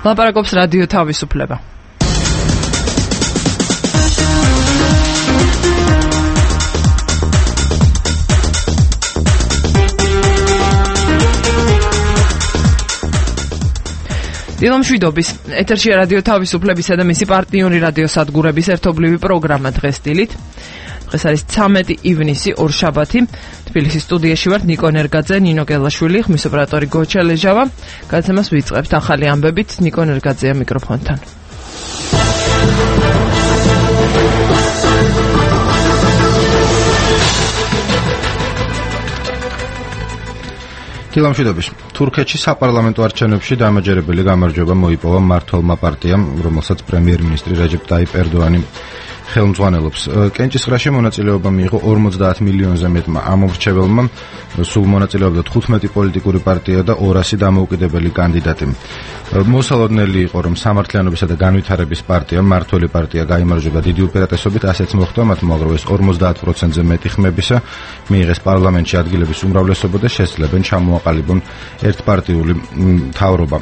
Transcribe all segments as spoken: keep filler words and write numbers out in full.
ლაპარაკობს რადიო თავისუფლება. დილომშვიდობის ეთერშია რადიო თავისუფლებისა და მისი პარტნიორი რადიოსადგურების ერთობლივი პროგრამა დღეს დილით. დღეს არის ცამეტი ივნისი, ორშაბათი. თბილისის სტუდიაში ვართ ნიკო ნერგაძე, ნინო გელაშვილი, ხმის ოპერატორი გოჩა ლეჟავა. გადაცემას ვიწყებთ ახალი ამბებით ნიკო ნერგაძეა მიკროფონთან. დილომშვიდობის. თურქეთში საპარლამენტო არჩევნებში დამაჯერებელი გამარჯვება მოიპოვა მმართველმა პარტიამ, რომელსაც პრემიერ-მინისტრი რეჯეპ ტაიპ ერდოანი ხელმძღვანელობს. კენჭისყრაში მონაწილეობა მიიღო ორმოცდაათ მილიონზე მეტმა ამომრჩეველმა, სულ მონაწილეობდა თხუთმეტი პოლიტიკური პარტია და ორასი დამოუკიდებელი კანდიდატი. მოსალოდნელი იყო, რომ სამართლიანობისა და განვითარების პარტია, მმართველი პარტია გაიმარჯვება დიდი უპირატესობით, ასეც მოხდა მათ მოგროვეს ორმოცდაათ პროცენტზე მეტი ხმებისა, მიიღეს პარლამენტში ადგილების უმრავლესობა და შესძლებენ ჩამოაყალიბონ ერთპარტიული მთავრობა.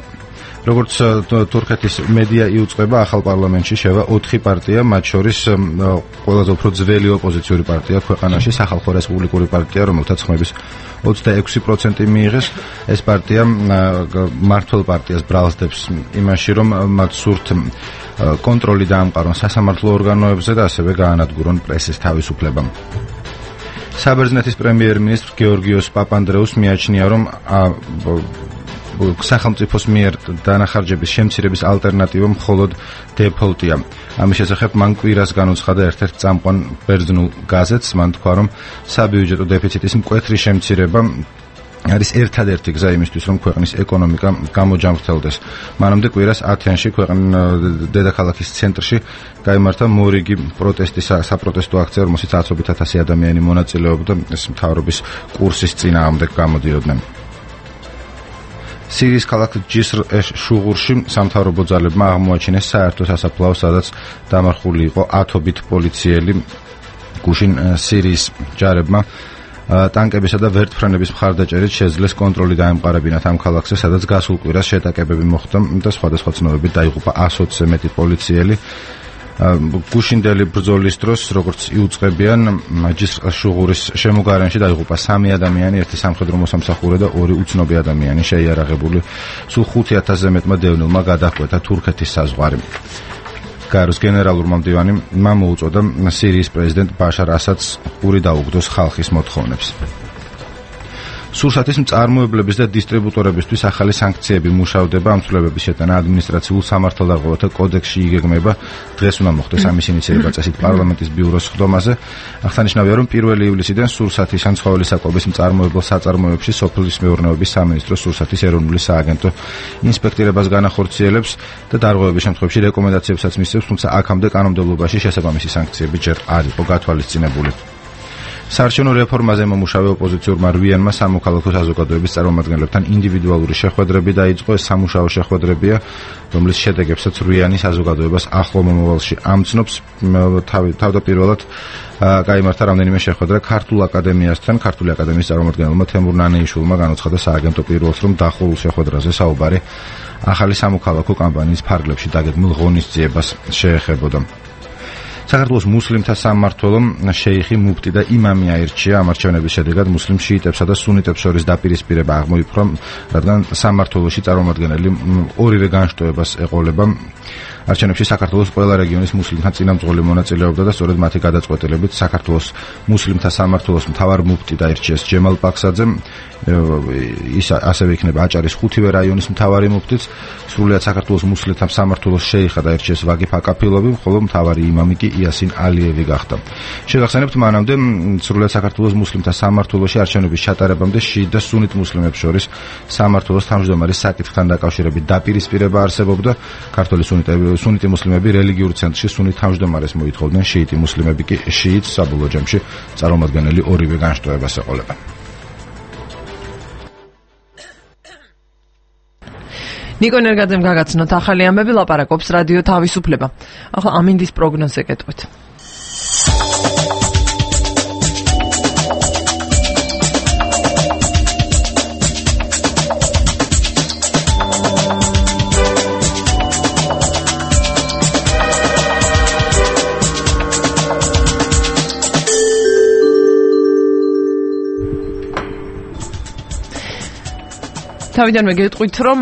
როგორც თურქეთის მედია იუწყება, ახალ პარლამენტში შევა ოთხი პარტია, მათ შორის ყველაზე უფრო ძველი ოპოზიციური პარტია ქვეყანაში, სახალხო რესპუბლიკური პარტია, რომელთაც ხმების ოცდაექვსი პროცენტი მიიღეს. ეს პარტია მმართველ პარტიას ბრალსდებს იმაში, რომ მათ სურთ კონტროლი დაამყარონ სასამართლო ორგანოებზე და ასევე გაანადგურონ პრესის თავისუფლება. საბერძნეთის პრემიერ-მინისტრ გეორგიოს პაპანდრეუს მიაჩნია, რომ სახელმწიფოს მიერ დანახარჯების შემცირების ალტერნატივა მხოლოდ დეფოლტია. ამის შესახებ მან კვირას განუცხადა ერთ-ერთ წამყვან ბერძნულ გაზეთს. მან თქვა, რომ საბიუჯეტო დეფიციტის მკვეთრი შემცირება არის ერთადერთი გზა იმისთვის, რომ ქვეყნის ეკონომიკა გამოჯამრთელდეს. მანამდე კვირას ათენში, ქვეყნის დედაქალაქის ცენტრში, გაიმართა მორიგი პროტესტი, საპროტესტო აქცია, რომელშიც ათობით ათასი ადამიანი მონაწილეობდა, ეს მთავრობის კურსის წინააღმდეგ გამოდიოდნენ. სირიის ქალაქ ჯისრ-ეშ-შუღურში სამთავრობო ძალებმა აღმოაჩინეს საერთო სასაფლაო, სადაც დამარხული იყო ათობით პოლიციელი. გუშინ სირიის ჯარებმა ტანკებისა და ვერტმფრენების მხარდაჭერით შეძლეს კონტროლი დაემყარებინათ ამ ქალაქზე, სადაც გასულ კვირას შეტაკებები მოხდა და სხვადასხვა ცნობებით დაიღუპა ასოცზე მეტი პოლიციელი. გუშინდელი ბრძოლის დროს, როგორც იუწყებიან, ჯისრ-შუღურის შემოგარენში დაიღუპა სამი ადამიანი, ერთი სამხედრო მოსამსახურე და ორი უცნობი ადამიანი შეიარაღებული. სულ ხუთი ათასზე მეტმა დევნილმა გადაჰკვეთა თურქეთის საზღვარი. გაეროს გენერალურმა მდივანმა მოუწოდა სირიის პრეზიდენტ ბაშარ ასადს პური დაუგდოს ხალხის მოთხოვნებს. სურსათის მწარმოებლების და დისტრიბუტორებისთვის ახალი სანქციები მუშავდება. ამ ცვლილებების შეტანა ადმინისტრაციულ სამართალდაღობათა კოდექსში იგეგმება. დღეს უნდა მოხდეს ამის ინიციირება წესით პარლამენტის ბიუროს სხდომაზე. აღსანიშნავია, რომ პირველი ივლისიდან სურსათის ან ცხოველი საკვების მწარმოებელ საწარმოებში სოფლის მეურნეობის სამინისტრო სურსათის ეროვნული სააგენტო ინსპექტირებას განახორციელებს და დარღვევების შემთხვევაში რეკომენდაციებსაც მისცემს, თუმცა აქამდე კანონმდებლობაში შესაბამისი სანქციები ჯერ არ იყო გათვალისწინებული. საარჩევნო რეფორმაზე მომუშავე ოპოზიციურმა რვიანმა სამოქალაქო საზოგადოების წარმომადგენლებთან ინდივიდუალური შეხვედრები დაიწყო. ეს სამუშაო შეხვედრებია, რომლის შედეგებსაც რვიანი საზოგადოებას ახლო მომავალში ამცნობს. თავდაპირველად გაიმართა რამდენიმე შეხვედრა ქართულ აკადემიასთან. ქართული აკადემიის წარმომადგენელმა თემურ ნანეიშვილმა განუცხადა სააგენტო პირველს, რომ დახურულ შეხვედრაზე საუბარი ახალი სამოქალაქო კამპანიის ფარგლებში დაგეგმილ ღონისძიებას შეეხებოდა. საქართველოს მუსლიმთა სამმართველომ შეიხი მუფტი და იმამი აირჩია. ამ არჩევნების შედეგად მუსლიმ შიიტებსა და სუნიტებს შორის დაპირისპირება აღმოიფხვრა, რადგან სამმართველოში წარმომადგენელი ორივე განშტოებას ეყოლება. არჩევნებში საქართველოს ყველა რეგიონის მუსლიმთა წინამძღოლი მონაწილეობდა და სწორედ მათი გადაწყვეტილებით საქართველოს მუსლიმთა სამმართველოს მთავარ მუფტი დაირჩიეს ჯემალ პაქსაძემ. ის ასევე იქნება აჭარის ხუთივე რაიონის მთავარი მუფტიც. სრულიად საქართველოს მუსლიმთა სამმართველოს შეიხა დაირჩიეს ვაგიფ აკაფილოვი, ხოლო მთავარი იმამი კი იასინ ალიევი გახდა. შეგახსენებთ, მანამდე სრულიად საქართველოს მუსლიმთა სამმართველოში არჩევნების ჩატარებამდე შიიტ და სუნიტ მუსლიმებს შორის სამმართველოს თავმჯდომარის საკითხთან დაკავშირებით დაპირისპირება არსებობდა. ქართული სუნიტები სუნიტი მუსლიმები რელიგიურ ცენტრში სუნით თავმჯდომარეს მოითხოვდნენ, შიიტი მუსლიმები კი შიიტს. საბოლოო ჯამში წარმომადგენელი ორივე განშტოებას ეყოლება. ნიკო ნერგაძემ გაგაცნოთ ახალი ამბები, ლაპარაკობს რადიო თავისუფლება. ახლა ამინდის პროგნოზზე გეტყვით. თავიდანვე გეტყვით, რომ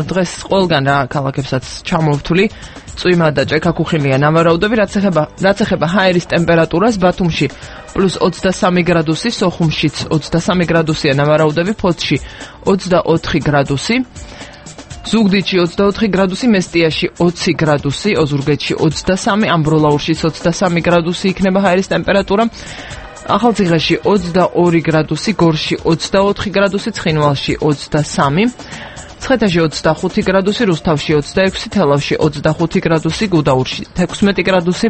დღეს ყველგან რა ქალაქებსაც ჩამოვთვლი წვიმა და ჭექა-ქუხილია ნავარაუდები, რაც ეხება რაც ეხება ჰაერის ტემპერატურას, ბათუმში პლუს ოცდასამი გრადუსი, სოხუმშიც ოცდასამი გრადუსია ნავარაუდები, ფოთში ოცდაოთხი გრადუსი, ზუგდიდში ოცდაოთხი გრადუსი, მესტიაში ოცი გრადუსი, ოზურგეთში ოცდასამი, ამბროლაურშიც ოცდასამი გრადუსი იქნება ჰაერის ტემპერატურა. ახალციხეში ოცდაორი გრადუსი, გორში ოცდაოთხი გრადუსი, ცხინვალში ოცდასამი, ცხეთაში ოცდახუთი გრადუსი, რუსთავში ოცდაექვსი, თელავში ოცდახუთი გრადუსი, გუდაურში თექვსმეტი გრადუსი,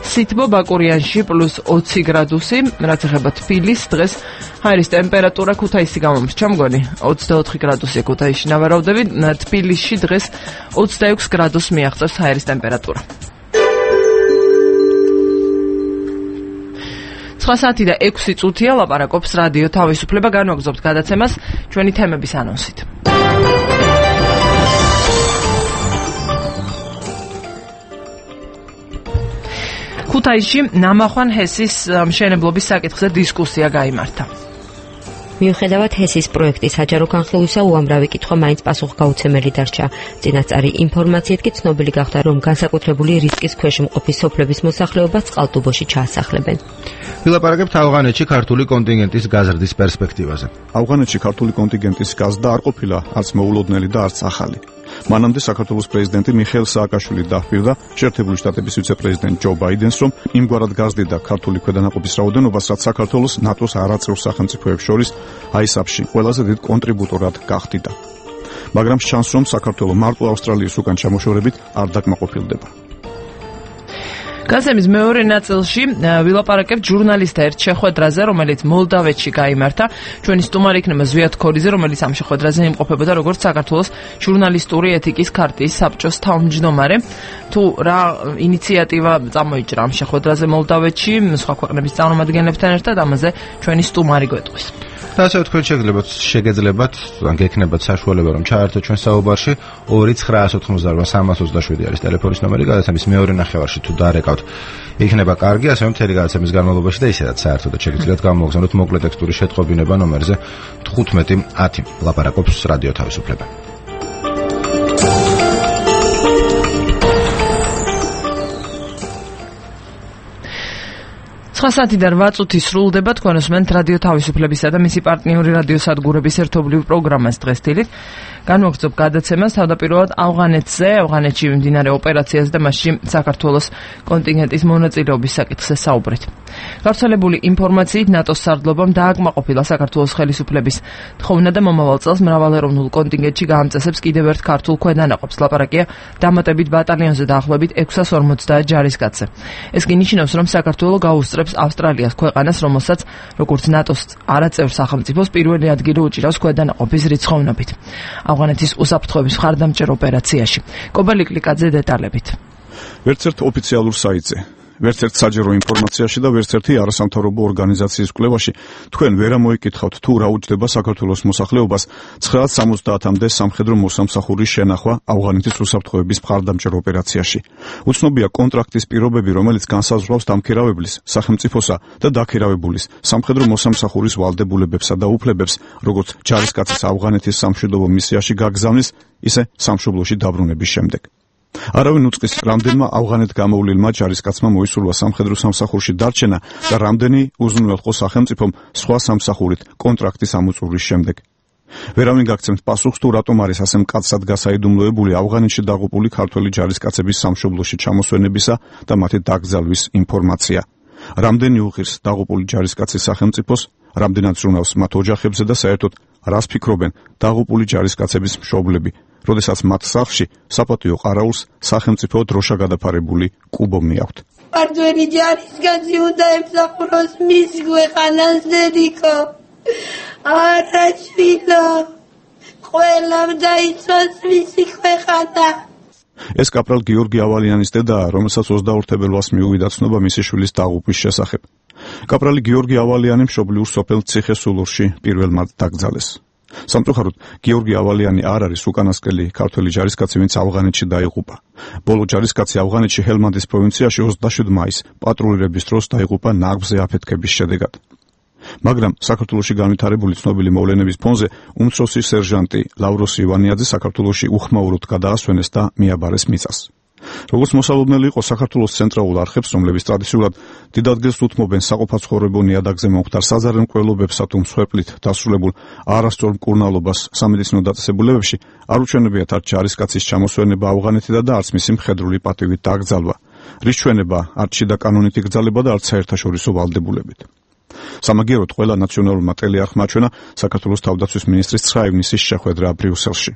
სითბო ბაკურიანში პლუს ოცი გრადუსი, რაც ეხება თბილისს, დღეს ჰაერის ტემპერატურა ქუთაისი გამომრჩა მგონი, ოცდაოთხი გრადუსი ქუთაისში ნავარაუდები, თბილისში დღეს ოცდაექვს გრადუსს მიაღწევს ჰაერის ტემპერატურა. ცხრა საათი და ექვსი წუთია, ლაპარაკობს რადიო თავისუფლება, განვაგრძობთ გადაცემას ჩვენი თემების ანონსით. ქუთაისში ნამახვან ჰესის მშენებლობის საკითხზე დისკუსია გაიმართა. მიუხედავად ჰესის პროექტის საჯარო განხილვისა, უამრავი კითხვა მაინც პასუხგაუცემელი დარჩა. წინასწარი ინფორმაციით კი ცნობილი გახდა, რომ განსაკუთრებული რისკის ქვეშ მყოფი სოფლების მოსახლეობას წყალტუბოში ჩაასახლებენ. ვილაპარაკებთ ავღანეთში ქართული კონტინგენტის გაზრდის პერსპექტივაზე. ავღანეთში ქართული კონტინგენტის გაზრდა არ ყოფილა არც მოულოდნელი და არც ახალი. მანამდე საქართველოს პრეზიდენტი მიხეილ სააკაშვილი დაჰპირდა შეერთებული შტატების ვიცე-პრეზიდენტ ჯო ბაიდენს, რომ იმგვარად გაზრდიდა ქართული ქვედანაყოფის რაოდენობას, რაც საქართველოს ნატოს არაწევრ სახელმწიფოებს შორის აისაფში ყველაზე დიდ კონტრიბუტორად გახდიდა. მაგრამ ჩანს, რომ საქართველო მარტო ავსტრალიის უკან ჩამოშორებით არ დაკმაყოფილდება. გაზემის მეორე ნაწილში ვილაპარაკებთ ჟურნალისტთა ერთ შეხვედრაზე, რომელიც მოლდავეთში გაიმართა. ჩვენი სტუმარი იქნება ზვიად ქორიძე, რომელიც ამ შეხვედრაზე იმყოფებოდა როგორც საქართველოს ჟურნალისტური ეთიკის ქარტიის საბჭოს თავმჯდომარე. თუ რა ინიციატივა წამოიჭრა ამ შეხვედრაზე მოლდავეთში, სხვა ქვეყნების წარმომადგენლებთან ერთად, ამაზე ჩვენი სტუმარი გვეტყვის. და ასე თქვენ შეგძლებათ შეგეძლებათ ან გექნებათ საშუალება რომ ჩაერთოთ ჩვენ საუბარში ორი ცხრაას ოთხმოცდაორი სამას ოცდაშვიდი არის ტელეფონის ნომერი, გადაცემის მეორე ნახევარში თუ დაარეკავთ იქნება კარგი, ასევე მთელი გადაცემის განმავლობაში და ისედაც საერთოდ შეგიძლიათ გამოგზავნოთ მოკლე ტექსტური შეტყობინება ნომერზე თხუთმეტი ათი. ლაპარაკობს რადიო თავისუფლება. ცხრა საათი და რვა წუთი სრულდება, თქვენ უსმენთ რადიო თავისუფლებისა და მისი პარტნიორი რადიო სადგურების ერთობლივ პროგრამას დღეს დილით. განვაგრძობ გადაცემას თავდაპირველად ავღანეთზე, ავღანეთში მიმდინარე ოპერაციაზე და მასში საქართველოს კონტინგენტის მონაწილეობის საკითხზე საუბრით. გავრცელებული ინფორმაციით ნატოს სარდლობამ დააკმაყოფილა საქართველოს ხელისუფლების თხოვნა და მომავალ წელს მრავალეროვნულ კონტინგენტში გაამწესებს კიდევ ერთ ქართულ ქვედანაყოფს. ლაპარაკია დამატებით ბატალიონზე დაახლოებით ექვსას ორმოცდაათ ჯარისკაცზე. ეს კი ნიშნავს, რომ საქართველო გაუსწრებს ავსტრალიას, ქვეყანას, რომელსაც როგორც ნატოს არაწევრ სახელმწიფოს პირველი ადგილი უჭირავს ქვედანაყოფის რიცხოვნობით. ავღანეთის უსაფრთხოების მხარდამჭერ ოპერაციაში. კობალი კლიკაძე დეტალებით. ვერცერთ ოფიციალურ საიტზე, ვერცერთ საჯარო ინფორმაციაში და ვერცერთი არასამთავრობო ორგანიზაციის კვლევაში თქვენ ვერ ამოიკითხავთ თუ რა უჯდება საქართველოს მოსახლეობას ცხრაას სამოცდაათამდე სამხედრო მოსამსახურის შენახვა ავღანეთის უსაფრთხოების მხარდამჭერ ოპერაციაში. უცნობია კონტრაქტის პირობები, რომელიც განსაზღვრავს დამქირავებლის, სახელმწიფოსა და დაქირავებულის სამხედრო მოსამსახურის ვალდებულებებსა და უფლებებს, როგორც ჯარისკაცის ავღანეთის სამშვიდობო მისიაში გაგზავნის, ისე სამშობლოში დაბრუნების შემდეგ. არავინ უწყის რამდენმა ავღანეთ გამოვლილმა ჯარისკაცმა მოისურვა სამხედრო სამსახურში დარჩენა და რამდენი უზრუნველყო სახელმწიფომ სხვა სამსახურით კონტრაქტის ამოწურვის შემდეგ. ვერავინ გაგცემთ პასუხს თუ რატომ არის ასე მკაცრად გასაიდუმლოებული ავღანეთში დაღუპული ქართველი ჯარისკაცების სამშობლოში ჩამოსვენებისა და მათი დაკრძალვის ინფორმაცია. რამდენი უღირს დაღუპული ჯარისკაცის სახელმწიფოს, რამდენად ზრუნავს მათ ოჯახებზე და საერთოდ რას ფიქრობენ დაღუპული ჯარისკაცების მშობლები, როდესაც მათ სახლში საპატიო ყარაულს სახელმწიფო დროშა გადაფარებული კუბო მიაქვთ. ქართველი ჯარისკაცი უნდა ემსახუროს მის ქვეყანას, დედიკო. არაჩვილო, ყველამ დაიცვას მისი ქვეყანა. ეს კაპრალ გიორგი ავალიანის დედაა, რომელსაც ოცდაორ თებერვალს მიუვიდა ცნობა მისი შვილის დაღუპვის შესახებ. კაპრალი გიორგი ავალიანი მშობლიურ სოფელ ციხესულურში პირველმად დაკრძალეს. სამწუხაროდ, გიორგი ავალიანი არ არის უკანასკნელი ქართველი ჯარისკაცი, ვინც ავღანეთში დაიღუპა. ბოლო ჯარისკაცი ავღანეთში ჰელმანდის პროვინციაში ოცდაშვიდი მაისს პატრულირების დროს დაიღუპა ნარგზე აფეთქების შედეგად. მაგრამ საქართველოში განვითარებული ცნობილი მოვლენების ფონზე უმცროსი სერჟანტი ლავროს ივანიაძე საქართველოში უხმაუროდ გადაასვენეს და მიაბარეს მიწას. როგორც მოსალოდნელი იყო საქართველოს ცენტრალურ არხებს, რომლებიც ტრადიციულად დიდ ადგილს უთმობენ საყოფაცხოვრებო ნიადაგზე მომხდარ საზარელ მკვლელობებსა თუ მსხვერპლით დასრულებულ არასწორ მკურნალობას სამედიცინო დაწესებულებებში, არ უჩვენებიათ არც ჯარისკაცის ჩამოსვენება ავღანეთიდან და არც მისი მხედრული პატივით დაკრძალვა, რის ჩვენება არც შიდა კანონით იგრძალება და არც საერთაშორისო ვალდებულებით. სამაგიეროდ ყველა ნაციონალურმა ტელეარხმა აჩვენა საქართველოს თავდაცვის მინისტრის ცხრა ივნისის შეხვედრა ბრიუსელში.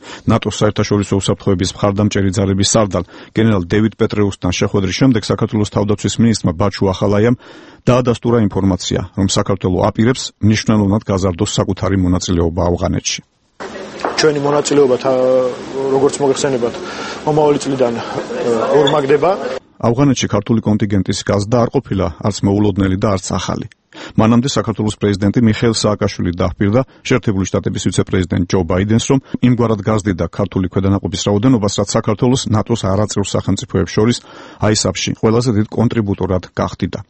ნატოს საერთაშორისო უსაფრთხოების მხარდამჭერი ძალების სარდალ გენერალ დევიდ პეტრეუსთან შეხვედრის შემდეგ საქართველოს თავდაცვის მინისტრმა ბაჩუ ახალაიამ დაადასტურა ინფორმაცია, რომ საქართველო აპირებს მნიშვნელოვნად გაზარდოს საკუთარი მონაწილეობა ავღანეთში. ჩვენი მონაწილეობა როგორც მოგეხსენებათ, მომავალი წლიდან ორმაგდება. ავღანეთში ქართული კონტინგენტის გაზრდა არ ყოფილა არც მოულოდნელი და არც ახალი. მანამდე საქართველოს პრეზიდენტი მიხეილ სააკაშვილი დაჰპირდა შეერთებული შტატების ვიცე-პრეზიდენტ ჯო ბაიდენს, რომ იმგვარად გაზრდიდა ქართული ქვედანაყოფის რაოდენობას, რაც საქართველოს ნატოს არაწევრ სახელმწიფოებს შორის აისაფში ყველაზე დიდ კონტრიბუტორად გახდიდა.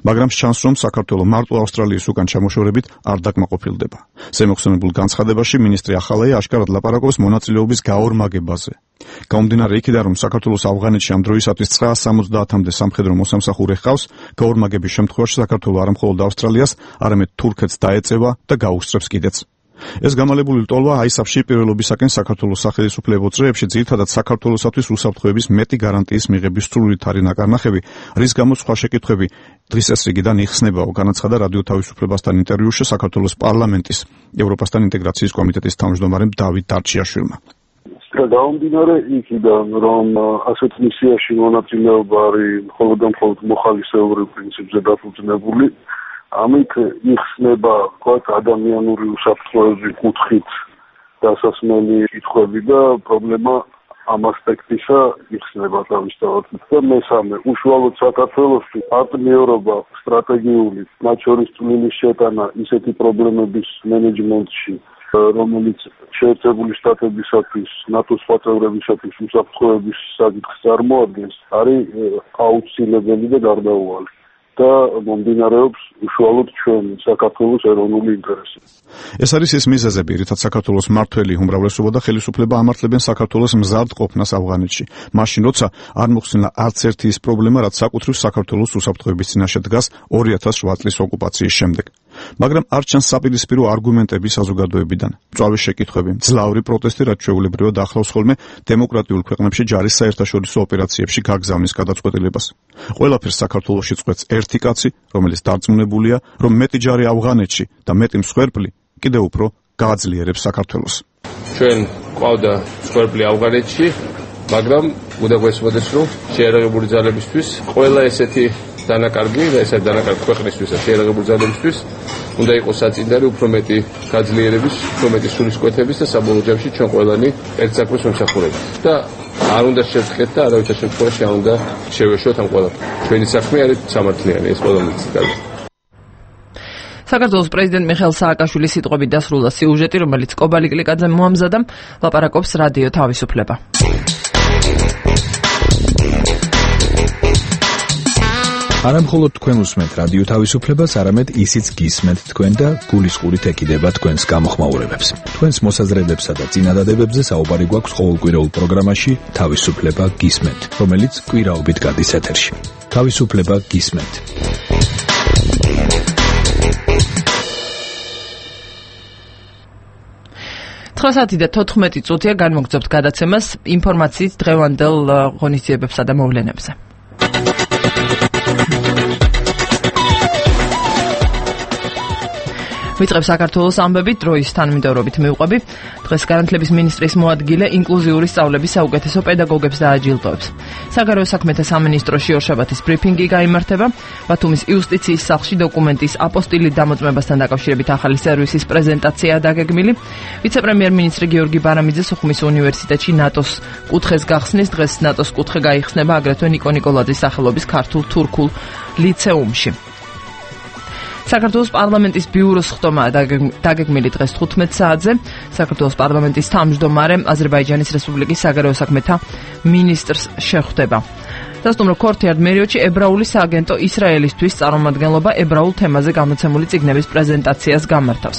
მაგრამ ჩანს, რომ საქართველო მარტო ავსტრალიის უკან ჩამოშორებით არ დაკმაყოფილდება. ზემოხსენებულ განცხადებაში მინისტრი ახალაია აშკარად ლაპარაკობს მონაწილეობის გაორმაგებაზე. გამომდინარე იქიდან, რომ საქართველოს ავღანეთში ამ დროისათვის ცხრაას სამოცდაათამდე სამხედრო მოსამსახურე ჰყავს, გაორმაგების შემთხვევაში საქართველო არა მხოლოდ ავსტრალიას, არამედ თურქეთს დაეწევა და გაუსწრებს კიდეც. ეს გამალებული ლტოლვა აისაფში პირველობისაკენ საქართველოს სახელმწიფო წრეებში ძირითადად საქართველოსათვის უსაფრთხოების მეტი გარანტიის მიღების სრულით არის ნაკარნახები, რის გამოც სხვა შეკითხვები დღის წესრიგიდან იხსნებაო, განაცხადა რადიო თავისუფლებასთან ინტერვიუში საქართველოს პარლამენტის ევროპასთან ინტეგრაციის კომიტეტის თავმჯდომარემ დავით დარჩიაშვილმა. გამომდინარე იქიდან, რომ ასეთ მისიაში მონაწილეობა არის მხოლოდ და მხოლოდ მოხალისეობრივ პრინციპზე დაფუძნებული, ამით იხსნება თქვათ ადამიანური უსაფრთხოების კუთხით დასასმელი კითხვები და პრობლემა ამ ასპექტისა იხსნება თავისთავად. და მესამე, უშუალოდ საქართველოსთვის პარტნიორობა სტრატეგიული, მათ შორის წვლილის შეტანა ისეთი პრობლემების მენეჯმენტში, რომელიც შეერთებული შტატებისათვის, ნატოს სხვა წევრებისათვის უსაფრთხოების საკითხს წარმოადგენს, არის აუცილებელი და გარდაუვალი. და მომდინარეობს უშუალოდ ჩვენ საქართველოს ეროვნული ინტერესი. ეს არის ის მიზეზები, რითაც საქართველოს მმართველი უმრავლესობა და ხელისუფლება ამართლებენ საქართველოს მზარდ ყოფნას ავღანეთში. მაშინ, როცა არ მოხსნა არც ერთი ის პრობლემა, რაც საკუთრივ საქართველოს უსაფრთხოების წინაშე დგას ორი ათას ოთხ წლის ოკუპაციის შემდეგ. მაგრამ არ ჩანს საპირისპირო არგუმენტები საზოგადოებიდან. მწვავე შეკითხვები, ძლავრი პროტესტი, რაც ჩვეულებრივად ახლავს ხოლმე დემოკრატიულ ქვეყნებში ჯარის საერთაშორისო ოპერაციებში გაგზავნის გადაწყვეტილებას. ყველაფერს საქართველოში წყვეტს ერთი კაცი, რომელიც დარწმუნებულია, რომ მეტი ჯარი ავღანეთში და მეტი მსხვერპლი კიდევ უფრო გააძლიერებს საქართველოს. ჩვენ ყავდა მსხვერპლი ავღანეთში, მაგრამ უნდა გვესმოდეს, რომ შეერაღებული ძალებისთვის ყველა ესეთი დანაკარგი და ესეთი დანაკარგი ქვეყნისთვის და შეერაღებული ძალებისთვის უნდა იყოს საწინდარი უფრო მეტი გაძლიერების, უფრო მეტი სულისკვეთების და საბოლოო ჯამში ჩვენ ყველანი ერთ საქმეს ვიმსახურებით. და არ უნდა შევწყეთ და არავითარ შემთხვევაში არ უნდა შევეშოთ ამ ყველაფერს. ჩვენი საქმე არის სამართლიანი, ეს ყველამიც კარგი. საქართველოს პრეზიდენტ მიხეილ სააკაშვილის სიტყვებით დასრულდა სიუჟეტი, რომელიც კობალი კლიკაძემ მოამზადა, ლაპარაკობს რადიო თავისუფლება. არა მხოლოდ თქვენ უსმენთ რადიო თავისუფლებას, არამედ ისიც გისმენთ თქვენ და გულისყურით ეკიდება თქვენს გამოხმაურებებს. თქვენს მოსაზრებებსა და წინადადებებზე საუბარი გვაქვს ყოველკვირეულ პროგრამაში თავისუფლება გისმენთ, რომელიც კვირაობით გადის ეთერში. თავისუფლება გისმენთ. ცხრა საათი და თოთხმეტი წუთია განმოგწევთ გადაცემას ინფორმაციით დღევანდელ ღონისძიებებსა და მოვლენებზე. ვიწყებ საქართველოს ამბებით, დროის თანმიმდევრობით მივყვები. დღეს განათლების მინისტრის მოადგილე ინკლუზიური სწავლების საუკეთესო პედაგოგებს დააჯილდოებს. საგარეო საქმეთა სამინისტროში ორშაბათის ბრიფინგი გაიმართება. ბათუმის იუსტიციის სახლში დოკუმენტის აპოსტილით დამოწმებასთან დაკავშირებით ახალი სერვისის პრეზენტაციაა დაგეგმილი. ვიცე-პრემიერ-მინისტრი გიორგი ბარამიძე სოხუმის უნივერსიტეტში ნატოს კუთხეს გახსნის. დღეს ნატოს კუთხე გაიხსნება აგრეთვე ნიკო ნიკოლაძის სახელობის ქართულ-თურქულ ლიცეუმში. საქართველოს პარლამენტის ბიუროს ხტომაა დაგეგმილი დღეს თხუთმეტ საათზე. საქართველოს პარლამენტის თავმჯდომარე აზერბაიჯანის რესპუბლიკის საგარეო საქმეთა მინისტრს შეხვდება. დასტუმრო ქორთიარდ მერიოდში ებრაული სააგენტო ისრაელისთვის წარმომადგენლობა ებრაულ თემაზე გამოცემული წიგნების პრეზენტაციას გამართავს.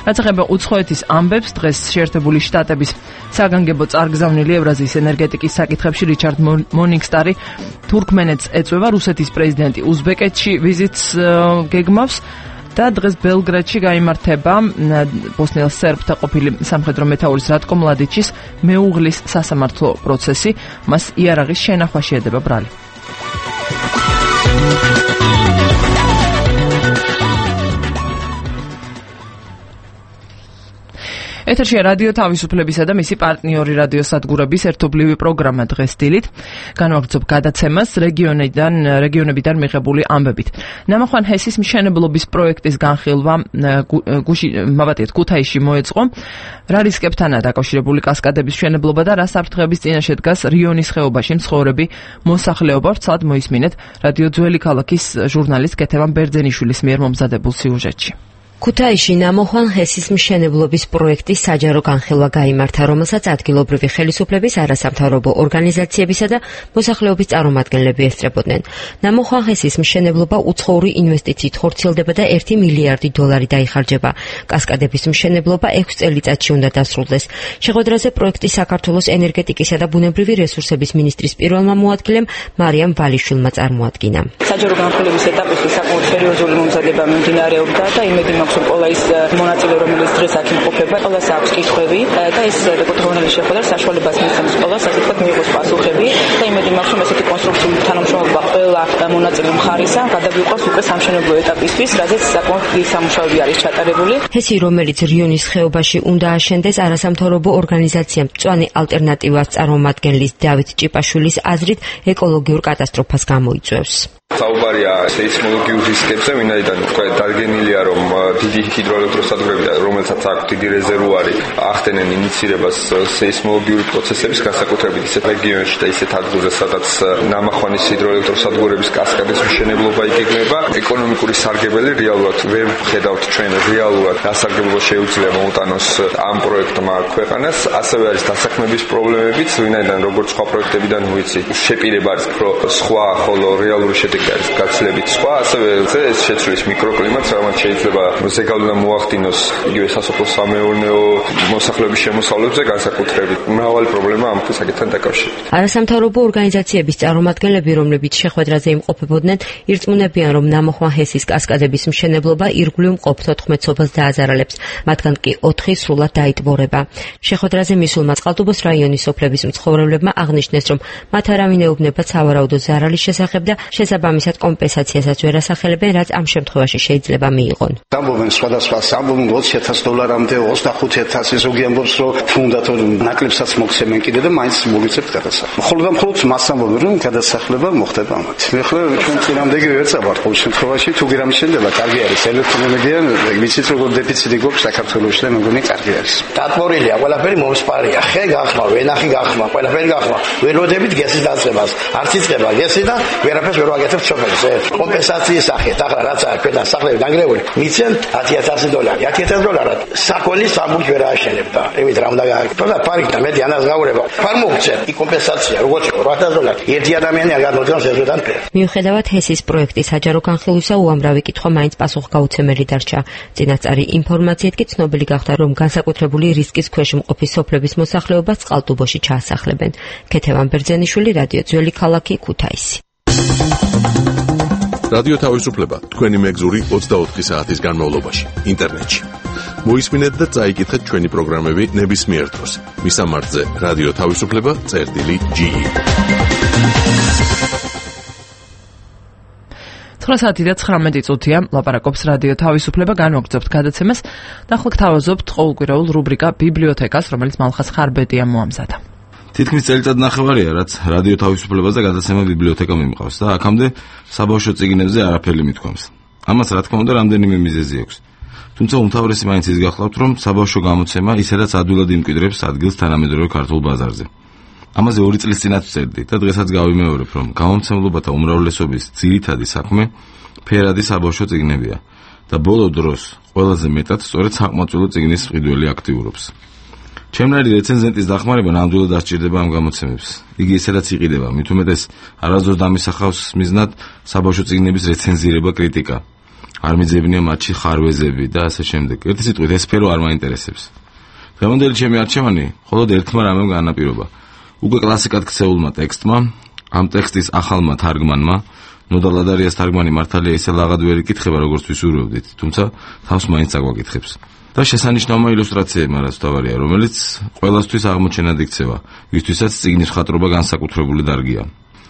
რაც ეხება უცხოეთის ამბებს, დღეს შეერთებული შტატების საგანგებო წარგზავნილი ევრაზიის ენერგეტიკის საკითხებში რიჩარდ მონინგსტარი თურქმენეთს ეწვევა, რუსეთის პრეზიდენტი უზბეკეთში ვიზიტს გეგმავს და დღეს ბელგრადში გაიმართება ბოსნიელ სერბთა ყოფილი სამხედრო მეთაურის რატკო მლადიჩის მეუღლის სასამართლო პროცესი, მას იარაღის შენახვაში ედება ბრალი. ეთერშია რადიო თავისუფლებისა და მისი პარტნიორი რადიო სადგურების ერთობლივი პროგრამა დღეს დილით. განვაგრძობ გადაცემას რეგიონიდან რეგიონებიდან მიღებული ამბებით. ნამახვან ჰესის მშენებლობის პროექტის განხილვა გუში მაბატიეთ ქუთაისში მოეწყო. რა რისკებთანაა დაკავშირებული კასკადების მშენებლობა და რა საფრთხეების წინაშე დგას რიონის ხეობაში მცხოვრები მოსახლეობა? ვრცლად მოისმინეთ რადიო ძველი ქალაქის ჟურნალისტ კეთევან ბერძენიშვილის მიერ მომზადებულ სიუჟეტში. ქუთაისში ნამოხვან ჰესის მშენებლობის პროექტის საჯარო განხილვა გაიმართა, რომელსაც ადგილობრივი ხელისუფლების არასამთავრობო ორგანიზაციებისა და მოსახლეობის წარმომადგენლები ესწრებოდნენ. ნამოხვან ჰესის მშენებლობა უცხოური ინვესტიციით ხორციელდება და ერთი მილიარდი დოლარი დაიხარჯება. კასკადების მშენებლობა ექვს წელიწადში უნდა დასრულდეს. შეხვედრაზე პროექტის საქართველოს ენერგეტიკისა და ბუნებრივი რესურსების მინისტრის პირველმა მოადგილემ მარიამ ვალიშვილმა წარმოადგინა. საჯარო განხილვის ეტაპში საკმაოდ სერიოზული მომზადება მიმდინარეობდა და იმედი მაქვს ყველა ის მონაწილე, რომელიც დღეს აქ იმყოფება, ყველას აქვს კითხვები და ეს რეკორდონელი შეხვედრა საშუალებას მისცემს ყველას, ასე ვთქვათ, მიიღოს პასუხები და იმედი მაქვს, რომ ესეთი კონსტრუქციული თანამშრომლობა ყველა მონაწილე მხარისა გადაგვიყვანს უკვე სამშენებლო ეტაპისთვის, რაზეც საკმაოდ დიდი სამუშაოები არის ჩატარებული. ჰესი, რომელიც რიონის ხეობაში უნდა აშენდეს, არასამთავრობო ორგანიზაციამ მწვანე ალტერნატივას წარმომადგენლის დავით ჭიპაშვილის აზრით ეკოლოგიურ კატასტროფას გამოიწვევს. საუბარია სეისმოლოგიურ რისკებზე, ვინაიდან თქვა დადგენილია, რომ დიდი ჰიდროელექტროსადგურები, რომელთაც აქვს დიდი რეზერვუარი, ახდენენ ინიცირებას სეისმოლოგიური პროცესების, განსაკუთრებით ისეთ რეგიონებში და ისეთ ადგილზე, სადაც ნამახვანის ჰიდროელექტროსადგურების კასკადის მშენებლობა იგეგმება. ეკონომიკური სარგებელი რეალურად ვერ ვხედავთ ჩვენ რეალურად გასარგებლობა შეუძლია მოუტანოს ამ პროექტმა ქვეყანას. ასევე არის დასაქმების პრობლემებიც, ვინაიდან როგორც სხვა პროექტებიდან ვიცი, შეპირება არის უფრო სხვა, ხოლო რეალური შედეგი არის გაცილებით სხვა, ასევე ეს შეცვლის მიკროკლიმატს, რომელიც შეიძლება ზეგავლენა მოახდინოს იგივე სასოფლო-სამეურნეო მოსახლეობის შემოსავლებზე, განსაკუთრებით მრავალი პრობლემა ამ საკითხთან დაკავშირებით. არასამთავრობო ორგანიზაციების წარმომადგენლები, რომლებიც შეხვედრაზე იმყოფებოდნენ, ირწმუნებიან, რომ ნამოხვან ჰესის კასკადების მშენებლობა ირგვლივ მყოფ თოთხმეტ სოფელს დააზარალებს, მათგან კი ოთხი სრულად დაიტბორება. შეხვედრაზე მისულმა წყალტუბოს რაიონის სოფლების მცხოვრებლებმა აღნიშნეს, რომ მათ არავინ ეუბნება სავარაუდო ზარალის შესახებ და შესაბამისად კომპენსაციასაც ვერ ასახელებენ, რაც ამ შემთხვევაში შეიძლება მიიღონ. ამბობენ სხვადასხვა ამბობენ ოცი ათას დოლარამდე, ოცდახუთი ათასი, ზოგი ამბობს, რომ თუნდაც ნაკლებსაც მოგცემენ კიდე და მაინც მოგიწევთ გადასახადი. ხოლო და მხოლოდ მას ამბობენ, რომ გადასახლება მოხდება ამათ. მე ხო ჩვენ წინამდე ვერ წავართ ყოველ შემთხვევაში, თუ გირამ შეიძლება, კარგი არის ელექტროენერგია, ვიცით როგორ დეფიციტი გვაქვს საქართველოში და მეგონი კარგი არის. დატბორილია, ყველაფერი მომსპარია, ხე გახმა, ვენახი გახმა, ყველაფერი გახმა. ვერ ვოდებით გესის დაწყებას, არც იწყება გესი და ვერაფერს ვერ ვაკეთებთ სოფელს. კომპენსაციის სახით, ახლა რაც არის ქვეყნის სახლები დანგრეული, მიცენ ათი ათასი დოლარი, ათი ათასი დოლარად საქონლის სამბურჯ ვერ ააშენებდა. ევით რა უნდა გააკეთო და პარკიდან მეტი ანას გაურება. ფარ მოგცემ, იქ კომპენსაცია, როგორც ორი ათასი დოლარი. ერთი ადამიანი არ გამოდგანს ეზოდან ფერ. მიუხედავად ჰესის პროექტის საჯარო განხილვისა, უამრავი კითხვა მაინც პასუხგაუცემელი დარჩა. წინასწარი ინფორმაციით კი ცნობილი გახდა, რომ განსაკუთრებული რისკის ქვეშ მყოფი სოფლების მოსახლეობას წყალტუბოში ჩაასახლებენ. კეთევან ბერძენიშვილი, რადიო ძველი ქალაქი, ქუთაისი. რადიო თავისუფლება, თქვენი მეგზური ოცდაოთხი საათის განმავლობაში, ინტერნეტში. მოისმინეთ და წაიკითხეთ ჩვენი პროგრამები ნებისმიერ დროს. მისამართზე რადიო თავისუფლება, წერტილი ჯი. ცხრა საათი და ცხრამეტი წუთია, ლაპარაკობს რადიო თავისუფლება, განვაგრძობთ გადაცემას და ახლა გთავაზობთ ყოველკვირეულ რუბრიკა ბიბლიოთეკას, რომელიც მალხაზ ხარბეტია მოამზადა. თითქმის წელიწად ნახევარია, რაც რადიო თავისუფლებაზე გადაცემა ბიბლიოთეკა მიმყავს და აქამდე საბავშვო წიგნებზე არაფერი მithქვამს. ამას რა თქმა უნდა რამდენიმე მიზეზი აქვს. თუმცა უმთავრესი მაინც ის გახლავთ, რომ საბავშვო გამოცემა ისედაც ადვილად იმკვიდრებს ადგილს თანამედროვე ქართულ ბაზარზე. ამაზე ორი წლის წინაც ვწერდი და დღესაც გავიმეორებ, რომ გამომცემლობათა უმრავლესობის ძირითადი საქმე ფერადი საბავშვო წიგნებია და ბოლო დროს ყველაზე მეტად სწორედ საკმაყოფილო წიგნის მყიდველი აქტიურობს. ჩემნაირი რეცენზენტის დახმარება ნამდვილად დასჭირდება ამ გამოცემებს. იგი ისედაც იყიდება, მით უმეტეს არასდროს დამისახავს მიზნად საბავშვო წიგნების რეცენზირება, კრიტიკა. არ მიძებნია მათში ხარვეზები და ასე შემდეგ. ერთი სიტყვით, ეს სფერო არ მაინტერესებს. დღევანდელი ჩემი არჩევანი მხოლოდ ერთმა რამემ განაპირობა. უკვე კლასიკად ქცეულმა ტექსტმა, ამ ტექსტის ახალმა თარგმანმა, ნოდა ლადარიას თარგმანი მართალია ისე ლაღად ვერ იკითხება, როგორც ვისურვებდით, თუმცა თავს მაინც აგვაკითხებს. და შესანიშნავმა ილუსტრაციებმა, რაც თავარია, რომელიც ყველასთვის აღმოჩენად იქცევა, ვისთვისაც წიგნის მხატვრობა განსაკუთრებული დარგია.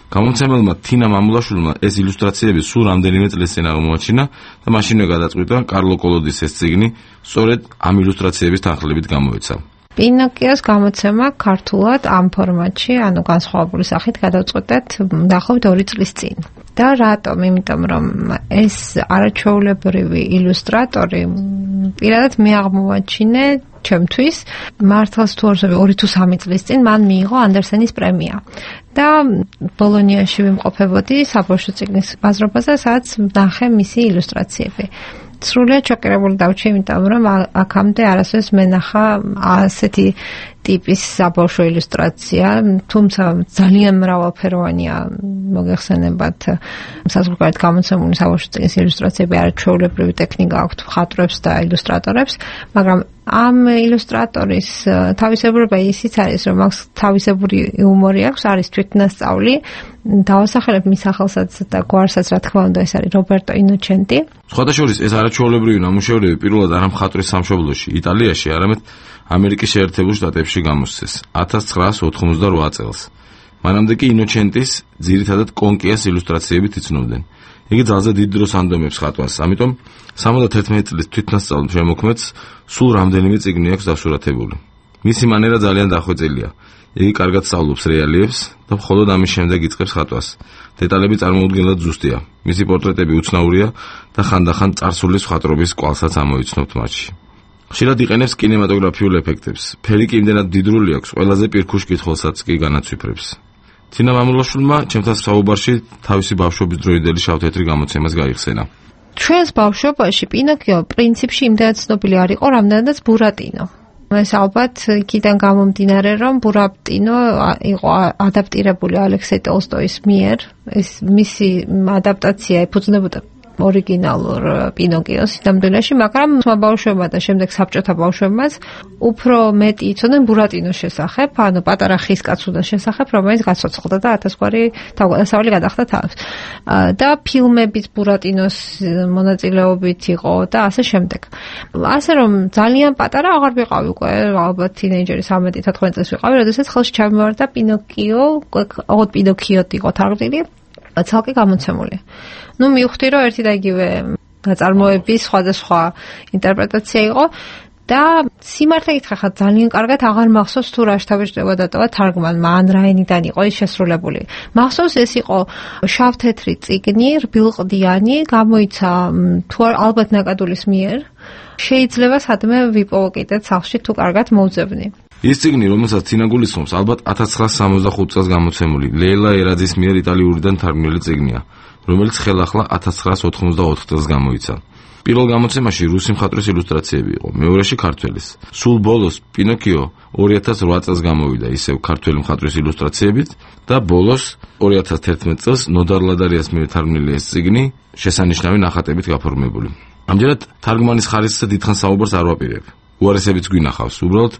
გამომცემელმა თინა მამულაშვილმა ეს ილუსტრაციები სულ რამდენიმე წლის წინ აღმოაჩინა და მაშინვე გადაწყვიტა კარლო კოლოდის ეს წიგნი სწორედ ამ ილუსტრაციების თანხლებით გამოეცა. პინოკიოს გამოცემა ქართულად ამ ფორმატში, ანუ განსხვავებული სახით გადავწყვეტეთ დაახლოებით ორი წლის წინ. და რატომ? იმიტომ რომ ეს არაჩვეულებრივი ილუსტრატორი პირადად მე აღმოვაჩინე ჩემთვის მართლაც თუ არ ვსები ორი თუ სამი წლის წინ მან მიიღო ანდერსენის პრემია. და ბოლონიაში ვიმყოფებოდი საბავშვო წიგნის ბაზრობაზე, სადაც ნახე მისი ილუსტრაციები. სრულიად შოკირებული დავჭი, იმიტომ რომ აქამდე არასოდეს მენახა ასეთი ტიპის საბავშვო ილუსტრაცია, თუმცა ძალიან მრავალფეროვანია, მოგეხსენებათ საზღვარგარეთ გამოცემული საბავშვო წიგნის ილუსტრაციები, არაჩვეულებრივი ტექნიკა აქვთ მხატვრებს და ილუსტრატორებს, მაგრამ ამ ილუსტრატორის თავისებურება ისიც არის, რომ აქვს თავისებური იუმორი აქვს, არის თვითნასწავლი. დავასახელებ მის სახელსაც და გვარსაც, რა თქმა უნდა, ეს არის რობერტო ინოჩენტი. სხვადასხვა ეს არაჩვეულებრივი ნამუშევრები პირველად არა მხატვრის სამშობლოში, იტალიაში, არამედ ამერიკის შეერთებულ შტატებში გამოსცეს ათას ცხრაას ოთხმოცდარვა წელს. მანამდე კი ინოჩენტის ძირითადად კონკიას ილუსტრაციებით იცნობდნენ. იგი ძალზე დიდ დროს ანდომებს ხატვას, ამიტომ სამოცდათერთმეტი წლის თვითნასწავლ შემოქმედს სულ რამდენიმე წიგნი აქვს დასურათებული. მისი მანერა ძალიან დახვეწილია. იგი კარგად სწავლობს რეალიებს და მხოლოდ ამის შემდეგ იწყებს ხატვას. დეტალები წარმოუდგენლად ზუსტია. მისი პორტრეტები უცნაურია და ხანდახან წარსულის მხატვრობის კვალსაც ამოიცნობთ მათში. ხშირად იყენებს კინემატოგრაფიულ ეფექტებს. ფერი კი იმდენად დიდრული აქვს, ყველაზე პირქუშ კითხველსაც კი განაცვიფრებს. თინა მამულაშვილმა ჩემთან საუბარში თავისი ბავშვობის დროინდელი შავ-თეთრი გამოცემას გაიხსენა. ჩვენს ბავშვობაში პინოკიო პრინციპში იმდენად ცნობილი არ იყო, რამდენადაც ბურატინო. ეს ალბათ იქიდან გამომდინარე, რომ ბურატინო იყო ადაპტირებული ალექსეი ტოლსტოის მიერ. ეს მისი ადაპტაცია ეფუძნებოდა ორიგინალურ პინოკიოს სინამდვილეში, მაგრამ ბავშვებმა და შემდეგ საბჭოთა ბავშვებმაც უფრო მეტი იცოდნენ ბურატინოს შესახებ, ანუ პატარა ხის კაცუნას შესახებ, რომელიც გაცოცხლდა და ათასგვარი თავგადასავალი გადახდა თავს. და ფილმებიც ბურატინოს მონაწილეობით იყო და ასე შემდეგ. ასე რომ ძალიან პატარა აღარ ვიყავი უკვე, ალბათ თინეიჯერი სამეტი თოთხმეტი წლის ვიყავი, როდესაც ხელში ჩამივარდა პინოკიო, ოღონდ პინოკიოთ იყო თარგმნილი, ცალკე გამოცემული. ნუ მივხვდი, რომ ერთი და იგივე ნაწარმოების სხვადასხვა ინტერპრეტაცია იყო და სიმართლე გითხრა, ხა ძალიან კარგად აღარ მახსოვს თუ რა შთაბეჭდება დატოვა თარგმანმა, ან რა ენიდან იყო ის შესრულებული. მახსოვს ეს იყო შავ-თეთრი წიგნი, რბილყდიანი, გამოიცა თუ ალბათ ნაკადულის მიერ. შეიძლება სადმე ვიპოვო კიდეც სახლში თუ კარგად მოვძებნი. ის წიგნი, რომელსაც თინა გულისხმობს, ალბათ ათას ცხრაას სამოცდახუთ წელს გამოცემული, ლეილა ერაძის მიერ იტალიურიდან თარგმნილი წიგნია, რომელიც ხელახლა ათას ცხრაას ოთხმოცდაოთხ წელს გამოიცა. პირველ გამოცემაში რუსი მხატვრის ილუსტრაციები იყო, მეორეში ქართველის. სულ ბოლოს პინოკიო ორი ათას რვა წელს გამოვიდა ისევ ქართველი მხატვრის ილუსტრაციებით და ბოლოს ორი ათას თერთმეტ წელს ნოდარ ლადარიას მიერ თარგმნილი ეს წიგნი შესანიშნავი ნახატებით გაფორმებული. ამჯერად თარგმანის ხარისხზე დიდხანს საუბარს არ ვაპირებ. უარესებიც გვინახავს. უბრალოდ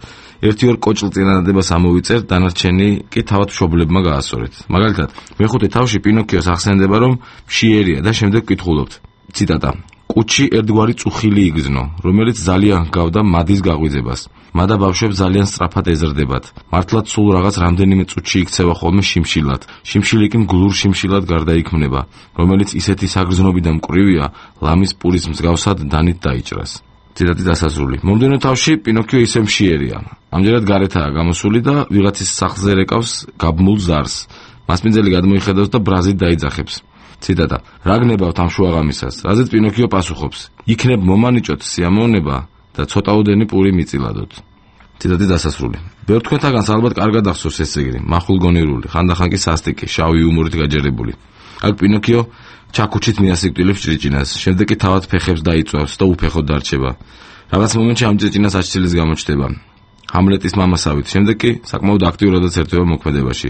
ერთი-ორ კოჭლ წინადადებას ამოვიწერ, დანარჩენი კი თავად მშობლებმა გაასწორეთ. მაგალითად, მეხუთე თავში პინოკიოს ახსენდება, რომ მშიერია და შემდეგ ვკითხულობთ. ციტატა: კუჩი ერთგვარი წუხილი იგზნო, რომელიც ძალიან ჰგავდა მადის გაღვიძებას. მადა ბავშვებს ძალიან სწრაფად ეზრდებათ. მართლაც სულ რაღაც რამდენიმე წუთში იქცევა ხოლმე შიმშილად. შიმშილი კი მგლურ შიმშილად გარდაიქმნება, რომელიც ისეთი საგრძნობი და მკვრივია, ლამის პურის მსგავსად დანით დაიჭრას. ციტატი დასასრული. მომდევნო თავში პინოკიო ისე მშიერია. ამჯერად გარეთაა გამოსული და ვიღაცის სახლზე რეკავს გაბმულ ზარს. მასპინძელი გადმოიხედავს და ბრაზით დაიძახებს. ციტატა: რა გნებავთ ამ შუაღამისას? რაზეც პინოკიო პასუხობს: იქნებ მომანიჭოთ სიამოვნება და ცოტაოდენი პური მიწილადოთ. ციტატი დასასრული. ბევრ თქვენთაგანს ალბათ კარგად ახსოვს ეს ეგრე, მახვილგონირული, ხანდახან კი სასტიკი, შავი იუმორით გაჯერებული. აქ პინოკიო ჩაკუჩით მიასიკვდილებს ჭრიჭინას, შემდეგ კი თავად ფეხებს დაიწვავს და უფეხოდ დარჩება. რაღაც მომენტში ამ ჭრიჭინას აჩცილის გამოჩნდება. ჰამლეტის მამასავით, შემდეგ კი საკმაოდ აქტიურადაც ერთვება მოქმედებაში.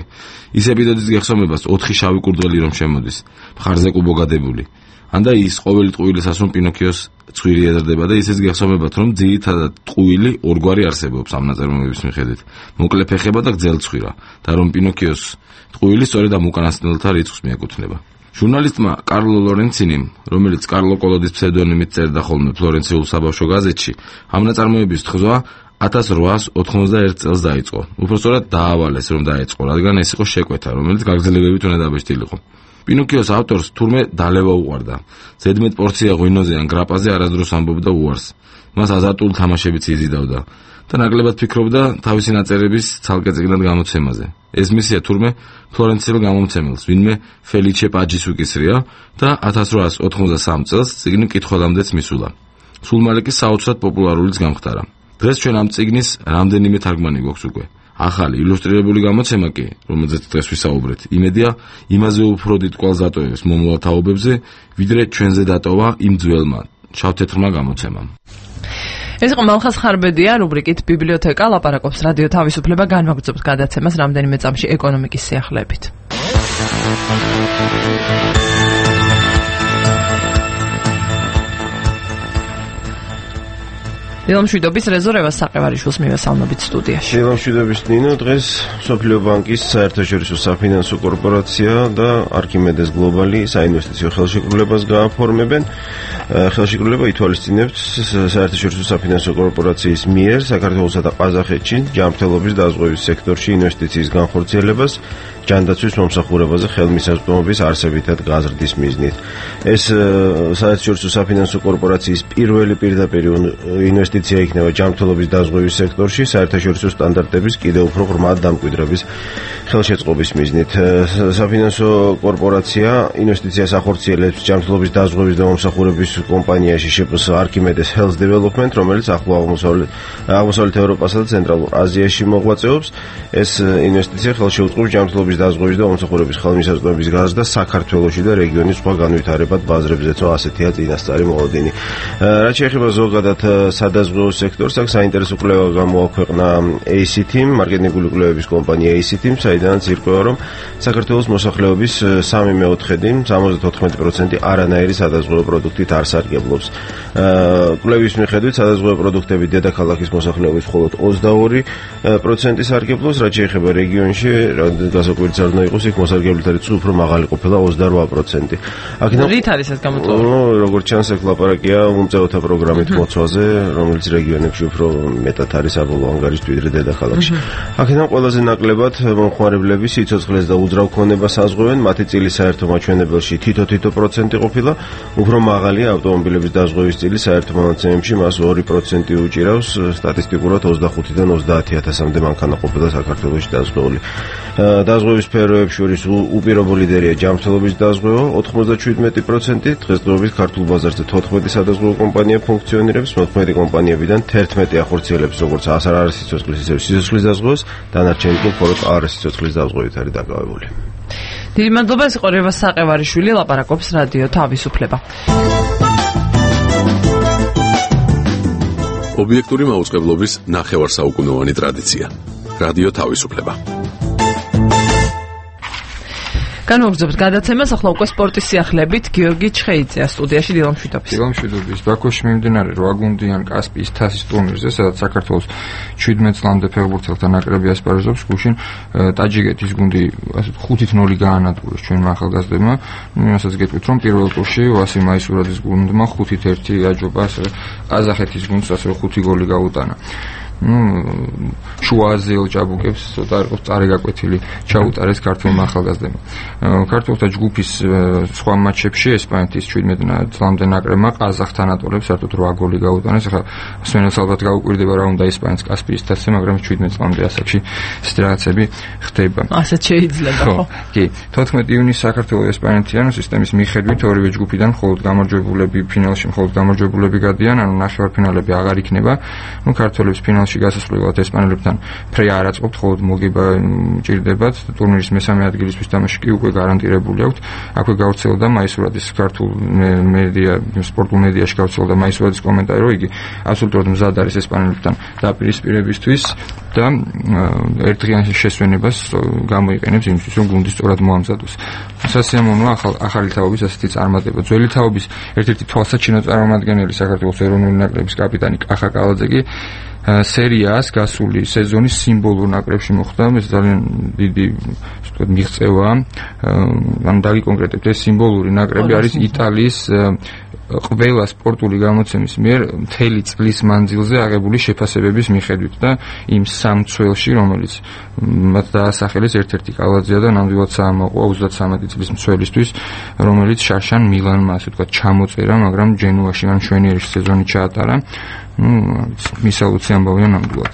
ის ეპიზოდის გეხსომებას ოთხი შავი კურდღელი რომ შემოდის, მხარზე კუბოგადებული. ანდა ის ყოველი ტყუილის ასრომ პინოქიოს ცხვირი ეზრდება და ისიც გეხსომებათ, რომ ძირითადად ტყუილი ორგვარი არსებობს ამ ნაწარმოების მიხედვით. მოკლე ფეხება და გრძელი ცხვირა და რომ პინოქიოს ტყუილი სწორედ ამ უკანასკნელთა რიცხვს მიეკუთვნება. ჟურნალისტმა კარლო ლორენცინიმ, რომელიც კარლო კოლოდის ფსევდონიმით წერდა ხოლმე ფლორენციულ საბავშვო გაზეთში, ამ ნაწარმოების თხზვა ათას რვაასი ოთხმოცდაერთი წელს დაიწყო. უпростоრად დაავალეს, რომ დაეწყო, რადგან ეს იყო შეკვეთა, რომელიც გაგრძელებებით უნდა დაბეჭდილიყო. პინოქიოს ავტორს თურმე დალევა უყვარდა. ზედმეტ პორცია ღვინოზე ან გრაპაზე არასდროს ამბობდა უარს. მას აზარტული თამაშებიც იზიდავდა და ნაკლებად ფიქრობდა თავისი ნაწერების ცალკე წიგნად გამოცემაზე. ეს მისია თურმე ფლორენციელ გამომცემელს, ვინმე ფელიჩე პაჯის უკისრია და ათას რვაასი ოთხმოცდასამი წელს წიგნი მკითხველამდეც მისულა. სულ მალე კი საოცრად პოპულარულიც გამხდარა. დღეს ჩვენ ამ წიგნის რამდენიმე თარგმანი გვაქვს უკვე. ახალი ილუსტრირებული გამოცემა კი, რომელზეც დღეს ვისაუბრეთ, იმედია იმაზე უფრო დიდ კვალს დატოვებს მომავალ თაობებზე, ვიდრე ჩვენზე დატოვა იმ ძველმა შავთეთრმა გამოცემამ. ეს იყო მალხაზ ხარბედია რუბრიკით ბიბლიოთეკა ლაპარაკობს რადიო თავისუფლება განმაგრძობს გადაცემას რამდენიმე წამში ეკონომიკის სიახლეებით. დილამშვიდობის რეზერვას საყევარიშვილს მივესალმებით სტუდიაში. დილამშვიდობის ნინო, დღეს მსოფლიო ბანკის საერთაშორისო საფინანსო კორპორაცია და არქიმედეს გლობალი საინვესტიციო ხელშეკრულებას გააფორმებენ. ხელშეკრულება ითვალისწინებს საერთაშორისო საფინანსო კორპორაციის მიერ საქართველოსა და ყაზახეთში ჯანმრთელობის დაზღვევის სექტორში ინვესტიციის განხორციელებას ჯანდაცვის მომსახურებაზე ხელმისაწვდომობის არსებითად გაზრდის მიზნით. ეს საერთაშორისო საფინანსო კორპორაციის პირველი პირდაპირ ინვესტიცია იქნება ჯანმრთელობის დაზღვევის სექტორში საერთაშორისო სტანდარტების კიდევ უფრო ღრმად დამკვიდრების ხელშეწყობის მიზნით. საფინანსო კორპორაცია ინვესტიციას ახორციელებს ჯანმრთელობის დაზღვევის და მომსახურების კომპანიაში შეპს არქიმედეს Health Development, რომელიც ახლო აღმოსავლეთ ევროპასა და ცენტრალურ აზიაში მოღვაწეობს. ეს ინვესტიცია ხელშეუწყობს ჯანმრთელობის დაზღვევის და მომსახურების ხელმისაწვდომების გაზრდას საქართველოში და რეგიონის სხვა განვითარებად ბაზრებზეც, რომ ასეთია წინასწარი მოლოდინი. რაც შეეხება ზოგადად სადაზღვეო სექტორს, აქ საინტერესო კვლევა გამოაქვეყნა A C T-მ, მარკეტინგული კვლევების კომპანია A C T-მ, საიდანაც ირკვევა, რომ საქართველოს მოსახლეობის სამი მეოთხედი, სამოცდაოთხ პროცენტი არანაირი სადაზღვეო პროდუქტით არ სარგებლობს. კვლევის მიხედვით სადაზღვეო პროდუქტები დედაქალაქის მოსახლეობის მხოლოდ ოცდაორი პროცენტი სარგებლობს, რაც შეეხება რეგიონში, გასაკვირიც არ უნდა იყოს, იქ მოსარგებლეთა რიცხვი უფრო მაღალი ყოფილა ოცდარვა პროცენტი. აქედან რით არის ეს გამოწვეული? ნუ როგორც ჩანს, აქ ლაპარაკია უმწეოთა პროგრამით მოცვაზე, რომელიც რეგიონებში უფრო მეტად არის საბოლოო ანგარიშით ვიდრე დედაქალაქში. აქედან ყველაზე ნაკლებად მომხმარებლები სიცოცხლეს და უძრავ ქონებას აზღვევენ, მათი წილი საერთო მაჩვენებელში თითო-თითო პროცენტი ყოფილა, უფრო მაღალია ავტომობილების დაზღვევის წილი საერთო მონაცემებში, მას ორი პროცენტი უჭირავს, სტატისტიკურად ოცდახუთიდან ოცდაათი ათასამდე მანქანა ყოფილა საქართველოში დაზღვეული. დაზღვევის სფეროებს შორის უპირობო ლიდერია ჯანმრთელობის დაზღვევა ოთხმოცდაშვიდმეტი პროცენტი, დღესდღეობით ქართულ ბაზარზე თოთხმეტი სადაზღვეო კომპანია ფუნქციონირებს, მოქმედი კომპანიებიდან თერთმეტი ახორციელებს როგორც არასიცოცხლის ისე სიცოცხლის დაზღვევას, დანარჩენი კი მხოლოდ არასიცოცხლის დაზღვევით არის დაკავებული. დიდი მადლობა, ეს იყო რევას საყევარიშვილი, ლაპარაკობს რადიო თავისუფლება. ობიექტური მაუწყებლობის ნახევარსაუკუნოვანი ტრადიცია. რადიო თავისუფლება. განმოგრძობთ გადაცემას, ახლა უკვე სპორტის სიახლეებით გიორგი ჩხეიძეა სტუდიაში. დილამშვიდობის. დილამშვიდობის. ბაქოში მიმდინარე რვა გუნდიან კასპიის თასის ტურნირზე, სადაც საქართველოს შვიდმეტ წლამდე ფეხბურთელთა ნაკრები ასპარეზობს, გუშინ ტაჯიკეთის გუნდი ასეთ ხუთით ნული გაანადგურეს ჩვენმა ახალგაზრდებმა. იმასაც გეტყვით, რომ პირველ ტურში ვასილ მაისურაძის გუნდმა ხუთით ერთი აჯობა, ყაზახეთის გუნდს ასე ხუთი გოლი გაუტანა. ну შუაზეო ჭაბუკებს ცოტა იყოს წარეგაკვეთილი ჩაუტარეს ქართულმა ახალგაზრდებმა. ქართულთა ჯგუფის სხვა მატჩებში ესპანეთის შვიდმეტ წლამდე ნაკრებმა ყაზახთან ატოლებს საერთოდ რვა გოლი გაუტანეს. ახლა სვენელს ალბათ გაუკვირდება რა უნდა ესპანეთის კასპიის თასზე, მაგრამ შვიდმეტ წლამდე ასაკში ეს რაღაცები ხდება. ასეთ შეიძლება ხო? კი, თოთხმეტი ივნისს საქართველოს ესპანეთიანი სისტემის მიხედვით ორივე ჯგუფიდან მხოლოდ გამარჯვებულები ფინალში მხოლოდ გამარჯვებულები გადიან, ანუ ნახევარფინალები აღარ იქნება. ну ქართველებს ფინალში ფინალში გასასვლელად ესპანელებთან ფრე არ აწყობთ, ხოლო მოგება ჭირდებათ. ტურნირის მესამე ადგილისთვის თამაში კი უკვე გარანტირებული აქვთ. აქვე გავრცელდა მაისურად ის ქართულ მედია, სპორტულ მედიაში გავრცელდა მაისურად ის კომენტარი, რომ იგი აბსოლუტურად მზად არის ესპანელებთან დაპირისპირებისთვის და ერთდღიან შესვენებას გამოიყენებს იმისთვის, რომ გუნდი სწორად მოამზადოს. სასიამოვნოა ახალი თაობის ასეთი წარმატება. ძველი თაობის ერთ-ერთი თვალსაჩინო წარმომადგენელი საქართველოს ეროვნული ნაკრების კაპიტანი კახა კალაძე სერიას გასული სეზონის სიმბოლურ ნაკრებში მოხვდა. ეს ძალიან დიდი ვთქვათ მიღწევა. ან დავიკონკრეტებთ, ეს სიმბოლური ნაკრები არის იტალიის ყველა სპორტული გამოცემის მიერ მთელი წლის მანძილზე აღებული შეფასებების მიხედვით და იმ სამ ცველში, რომელიც მათ დაასახელეს, ერთ-ერთი კალაძეა და ნამდვილად საამაყოა ოცდათვრამეტი წლის მცველისთვის, რომელიც შარშან მილანმა, ასე ვთქვათ, ჩამოწერა, მაგრამ ჯენუაში ან მშვენიერი სეზონი ჩაატარა. ნუ მისალუცი ამბავია ნამდვილად.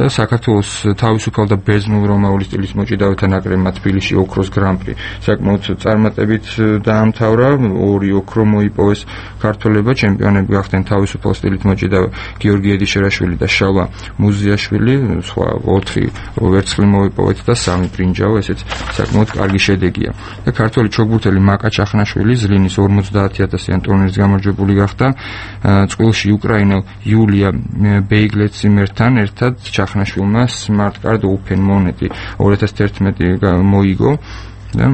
და საქართველოს თავისუფალ და ბერძნულ რომაული სტილის მოჭიდავეთა ნაკრებმა თბილისში ოქროს გრან-პრი საკმაოდ წარმატებით დაამთავრა. ორი ოქრო მოიპოვეს ქართველებმა, ჩემპიონები გახდნენ თავისუფალ სტილით მოჭიდავე გიორგი ედიშერაშვილი და შალვა მუზიაშვილი, სხვა ოთხი ვერცხლი მოიპოვეთ და სამი ბრინჯაო, ესეც საკმაოდ კარგი შედეგია. და ქართველი ჩოგბურთელი მაკა ჩახნაშვილი ზლინის ორმოცდაათი ათასიან ტურნირის გამარჯვებული გახდა. წყვილში უკრაინელ იულია ბეიგლეციმერთან ერთად ჩახნაშვილმა Smart Card Open მონეტი ორი ათას თერთმეტი მოიგო და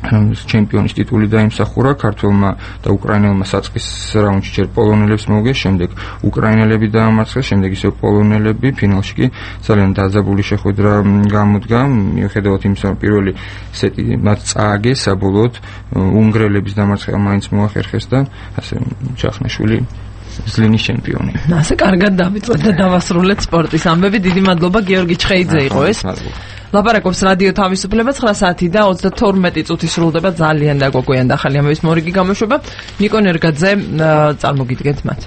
ჩემპიონის ტიტული დაიმსახურა ქართველმა და უკრაინელმა საწყის რაუნდში ჯერ პოლონელებს მოუგეს, შემდეგ უკრაინელები დაამარცხეს, შემდეგ ისევ პოლონელები, ფინალში კი ძალიან დაძაბული შეხვედრა გამოდგა. მიუხედავად იმისა, რომ პირველი სეტი მათ წააგეს, საბოლოოდ უნგრელების დამარცხება მაინც მოახერხეს და ასე ჩახნაშვილი ზლინის ჩემპიონი. ასე კარგად დავიწყეთ და დავასრულეთ სპორტის ამბები. დიდი მადლობა გიორგი ჩხეიძე იყო ეს. ლაპარაკობს რადიო თავისუფლება. ცხრა საათი და ოცდათორმეტი წუთი სრულდება. ძალიან დაგვაგვიანდა ახალი ამბების მორიგი გამოშვება. ნიკო ნერგაძე წარმოგიდგენთ მათ.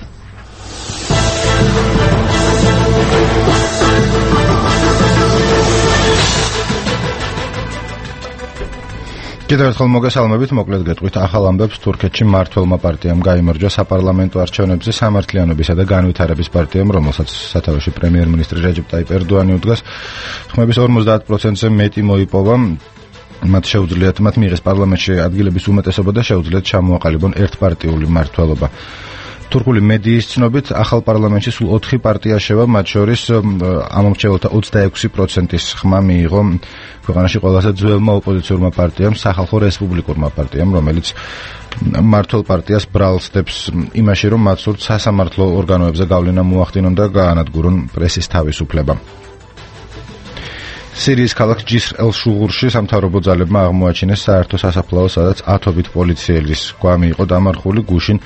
კიდევ ერთხელ მოგესალმებით, მოკლედ გეტყვით ახალ ამბებს. თურქეთში მმართველმა პარტიამ გაიმარჯვა საპარლამენტო არჩევნებზე სამართლიანობისა და განვითარების პარტიამ, რომელსაც სათავეში პრემიერ-მინისტრი რეჯეპ ტაიპ ერდოანი უდგას. ხმების ორმოცდაათ პროცენტზე მეტი მოიპოვა. მათ შეუძლიათ მათ მიიღეს პარლამენტში ადგილების უმეტესობა და შეუძლიათ ჩამოაყალიბონ ერთპარტიული მმართველობა. თურქული მედიის ცნობით ახალ პარლამენტში სულ ოთხი პარტია შევა, მათ შორის ამომრჩეველთა ოცდაექვსი პროცენტის ხმა მიიღო ქვეყანაში ყველაზე ძველმა ოპოზიციურმა პარტიამ, სახალხო რესპუბლიკურმა პარტიამ, რომელიც მმართველ პარტიას ბრალსდებს იმაში, რომ მათ სურთ სასამართლო ორგანოებზე გავლენა მოახდინონ და გაანადგურონ პრესის თავისუფლება. სირიის ქალაქ ჯისრ-ელ-შუღურში სამთავრობო ძალებმა აღმოაჩინეს საერთო სასაფლაო, სადაც ათობით პოლიციელის გვამი იყო დამარხული. გუშინ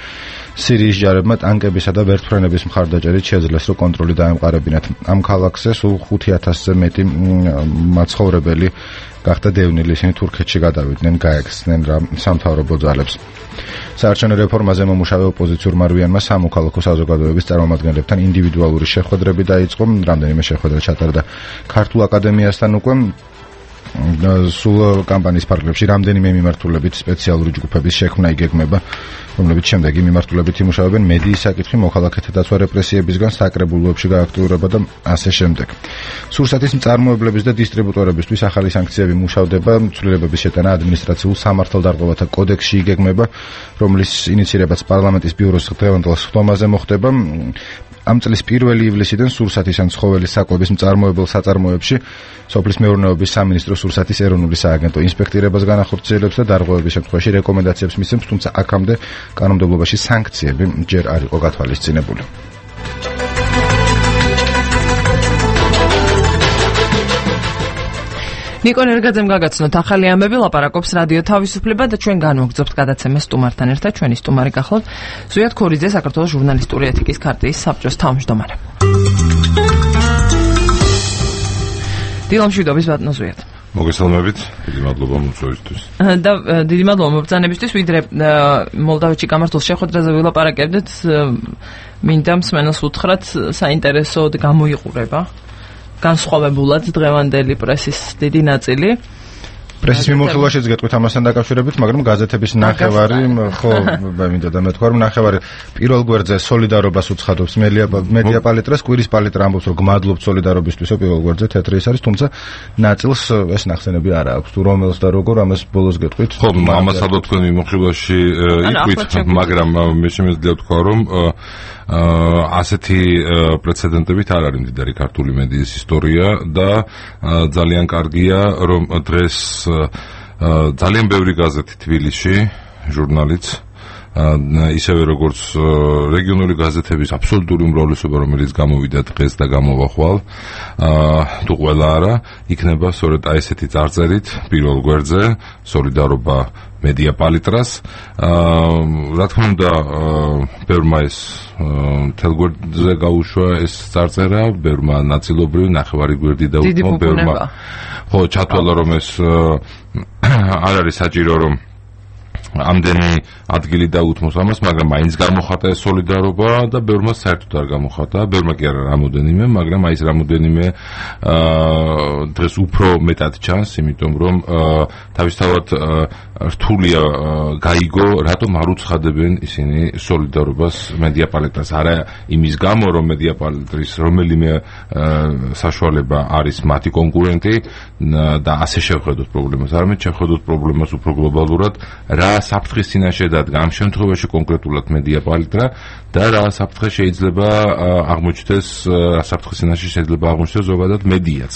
სირიის ჯარებმა ტანკებისა და ვერტმფრენების მხარდაჭერით შეძლეს, რომ კონტროლი დაემყარებინათ. ამ ქალაქზე სულ ხუთი ათასზე მეტი მაცხოვრებელი გახდა დევნილი, ისინი თურქეთში გადავიდნენ, გაექცნენ რა სამთავრობო ძალებს. საარჩევნო რეფორმაზე მომუშავე ოპოზიციურ მარვიანმა სამოქალაქო საზოგადოების წარმომადგენლებთან ინდივიდუალური შეხვედრები დაიწყო. რამდენიმე შეხვედრა ჩატარდა ქართულ აკადემიასთან უკვე. სულ კამპანიის ფარგლებში რამდენიმე მიმართულებით სპეციალური ჯგუფების შექმნა იგეგმება, რომლებიც შემდეგ მიმართულებით იმუშავებენ მედიის საკითხი, მოქალაქეთა დაცვა რეპრესიებისგან, საკრებულოებში გააქტიურება და ასე შემდეგ. სურსათის მწარმოებლების და დისტრიბუტორებისთვის ახალი სანქციები მუშავდება. ცვლილებების შეტანა ადმინისტრაციულ სამართალდარღვევათა კოდექსში იგეგმება, რომლის ინიცირებაც პარლამენტის ბიუროს დღევანდელ სხდომაზე მოხდება. ამ წლის პირველი ივლისიდან სურსათის ან ცხოველის საკვების მწარმოებელ საწარმოებში სოფლის მეურნეობის სამინისტრო სურსათის ეროვნული სააგენტო ინსპექტირებას განახორციელებს და დარღვევების შემთხვევაში რეკომენდაციებს მისცემს, თუმცა აქამდე კანონმდებლობაში სანქციები ჯერ არ იყო გათვალისწინებული. ნიკო ნერგაძემ გაგაცნოთ ახალი ამბები, ლაპარაკობს რადიო თავისუფლება და ჩვენ განვაგრძობთ გადაცემას სტუმართან ერთად. ჩვენი სტუმარი გახლავთ ზვიად ქორიძე, საქართველოს ჟურნალისტური ეთიკის ქარტიის საბჭოს თავმჯდომარე. დილამშვიდობის ბატონო ზვიად. მოგესალმებით, დიდი მადლობა მოწვევისთვის. და დიდი მადლობა მობრძანებისთვის, ვიდრე მოლდავეთში გამართულ შეხვედრაზე ვილაპარაკებდეთ, მინდა მსმენელს უთხრათ, საინტერესოდ გამოიყურება განსხვავებულად დღევანდელი პრესის დიდი ნაწილი. პრესის მიმოხილვაშიც გეტყვით ამასთან დაკავშირებით, მაგრამ გაზეთების ნახევარი, ხო, მინდა და მეთქვა, რომ ნახევარი პირველ გვერდზე სოლიდარობას უცხადობს მედია პალიტრას, კვირის პალიტრა ამბობს, რომ გმადლობთ სოლიდარობისთვისო პირველ გვერდზე თეთრი ის არის, თუმცა ნაწილს ეს ნახსენები არ აქვს. თუ რომელს და როგორ ამას ბოლოს გეტყვით? ხო, ამას ალბათ თქვენ მიმოხილვაში იყვით, მაგრამ მე შემიძლია ვთქვა, რომ ასეთი პრეცედენტებით არ არის მდიდარი ქართული მედიის ისტორია და ძალიან კარგია, რომ დღეს ძალიან ბევრი გაზეთი თბილისში, ჟურნალიც, ისევე როგორც რეგიონული გაზეთების აბსოლუტური უმრავლესობა, რომელიც გამოვიდა დღეს და გამოვა ხვალ, თუ ყველა არა, იქნება სწორედ აი ესეთი წარწერით პირველ გვერდზე სოლიდარობა მედია პალიტრას. რა თქმა უნდა, ბევრმა ეს მთელ გვერდზე გაუშვა ეს წარწერა, ბევრმა ნაწილობრივ ნახევარი გვერდი დაუთმო, ბევრმა ხო ჩათვალა, რომ ეს არ არის საჭირო, რომ ამდენი ადგილი დაუთმოს ამას, მაგრამ მაინც გამოხატა ეს სოლიდარობა და ბევრმა საერთოდ არ გამოხატა, ბევრმა კი არა რამოდენიმე, მაგრამ აი ეს რამოდენიმე დღეს უფრო მეტად ჩანს, იმიტომ რომ თავისთავად რთულია გაიგო, რატომ არ უცხადებენ ისინი სოლიდარობას მედია პალიტრას. არა იმის გამო, რომ მედია პალიტრის რომელიმე საშუალება არის მათი კონკურენტი და ასე შევხედოთ პრობლემას, არამედ შევხედოთ პრობლემას უფრო გლობალურად, რა საფრთხის წინაშე დადგა ამ შემთხვევაში კონკრეტულად მედია პალიტრა და რა საფრთხე შეიძლება აღმოჩნდეს, რა საფრთხის წინაშე შეიძლება აღმოჩნდეს ზოგადად მედიაც.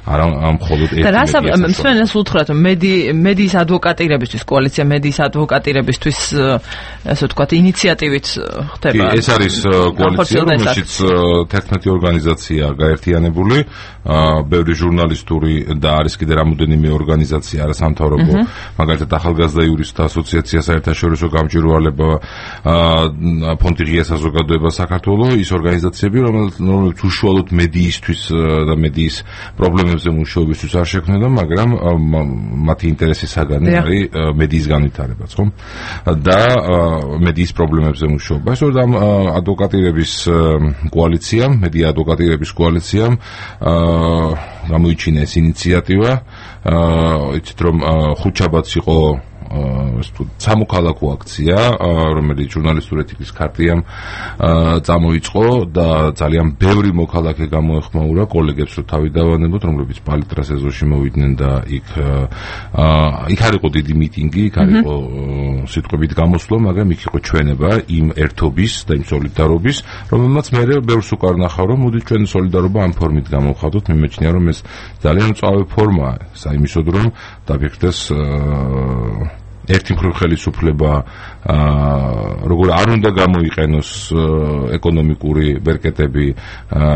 არა მხოლოდ ერთი მედია. და მსმენელს უთხრათ, მედიის ადვოკატირებისთვის, კოალიცია მედიის ადვოკატირებისთვის, ასე ვთქვათ, ინიციატივით ხდება. კი, ეს არის კოალიცია, რომელშიც თერთმეტი ორგანიზაცია გაერთიანებული, ბევრი ჟურნალისტური და არის კიდე რამოდენიმე ორგანიზაცია არასამთავრობო, მაგალითად ახალგაზრდა იურისტთა ასოციაცია, საერთაშორისო გამჭვირვალება, ფონდი ღია საზოგადოება საქართველოს, ის ორგანიზაციები, რომელიც უშუალოდ მედიისთვის და მედიის პრობლემებს მუშაობისთვის არ შექმნიდა, მაგრამ მათი ინტერესი საგანი არის მედიის განვითარებაც, ხო? და მედიის პრობლემებზე მუშაობა. სწორედ ამ ადვოკატირების კოალიციამ, მედია ადვოკატირების კოალიციამ გამოიჩინა ეს ინიციატივა. იცით რომ ხუთშაბათს იყო სამოქალაქო აქცია, რომელიც ჟურნალისტური ეთიკის ქარტიამ წამოიწყო და ძალიან ბევრი მოქალაქე გამოეხმაურა კოლეგებს, რომ თავი დავანებოთ, რომლებიც პალიტრას ეზოში მოვიდნენ და იქ იქ არ იყო დიდი მიტინგი, იქ არ იყო სიტყვებით გამოსვლა, მაგრამ იქ იყო ჩვენება იმ ერთობის და იმ სოლიდარობის, რომელმაც მე ბევრს უკარნახავ, რომ მოდი ჩვენ სოლიდარობა ამ ფორმით გამოვხატოთ. მიმეჩნია, რომ ეს ძალიან მწვავე ფორმაა საიმისოდ, რომ დაფიქრდეს ერთი მხრივ ხელისუფლება როგორ არ უნდა გამოიყენოს ეკონომიკური ბერკეტები,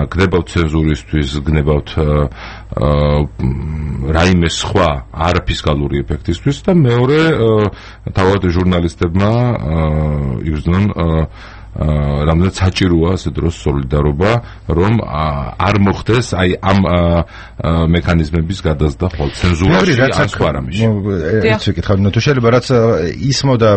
გნებავთ ცენზურისთვის, გნებავთ რაიმე სხვა არაფისკალური ეფექტისთვის და მეორე თავად ჟურნალისტებმა იგრძნონ რამდენად საჭიროა ასე დროს სოლიდარობა, რომ არ მოხდეს აი ამ მექანიზმების გადაზრდა ხოლ ცენზურაში ან სხვა რამეში. ეს ვიკითხავ, თუ შეიძლება რაც ისმოდა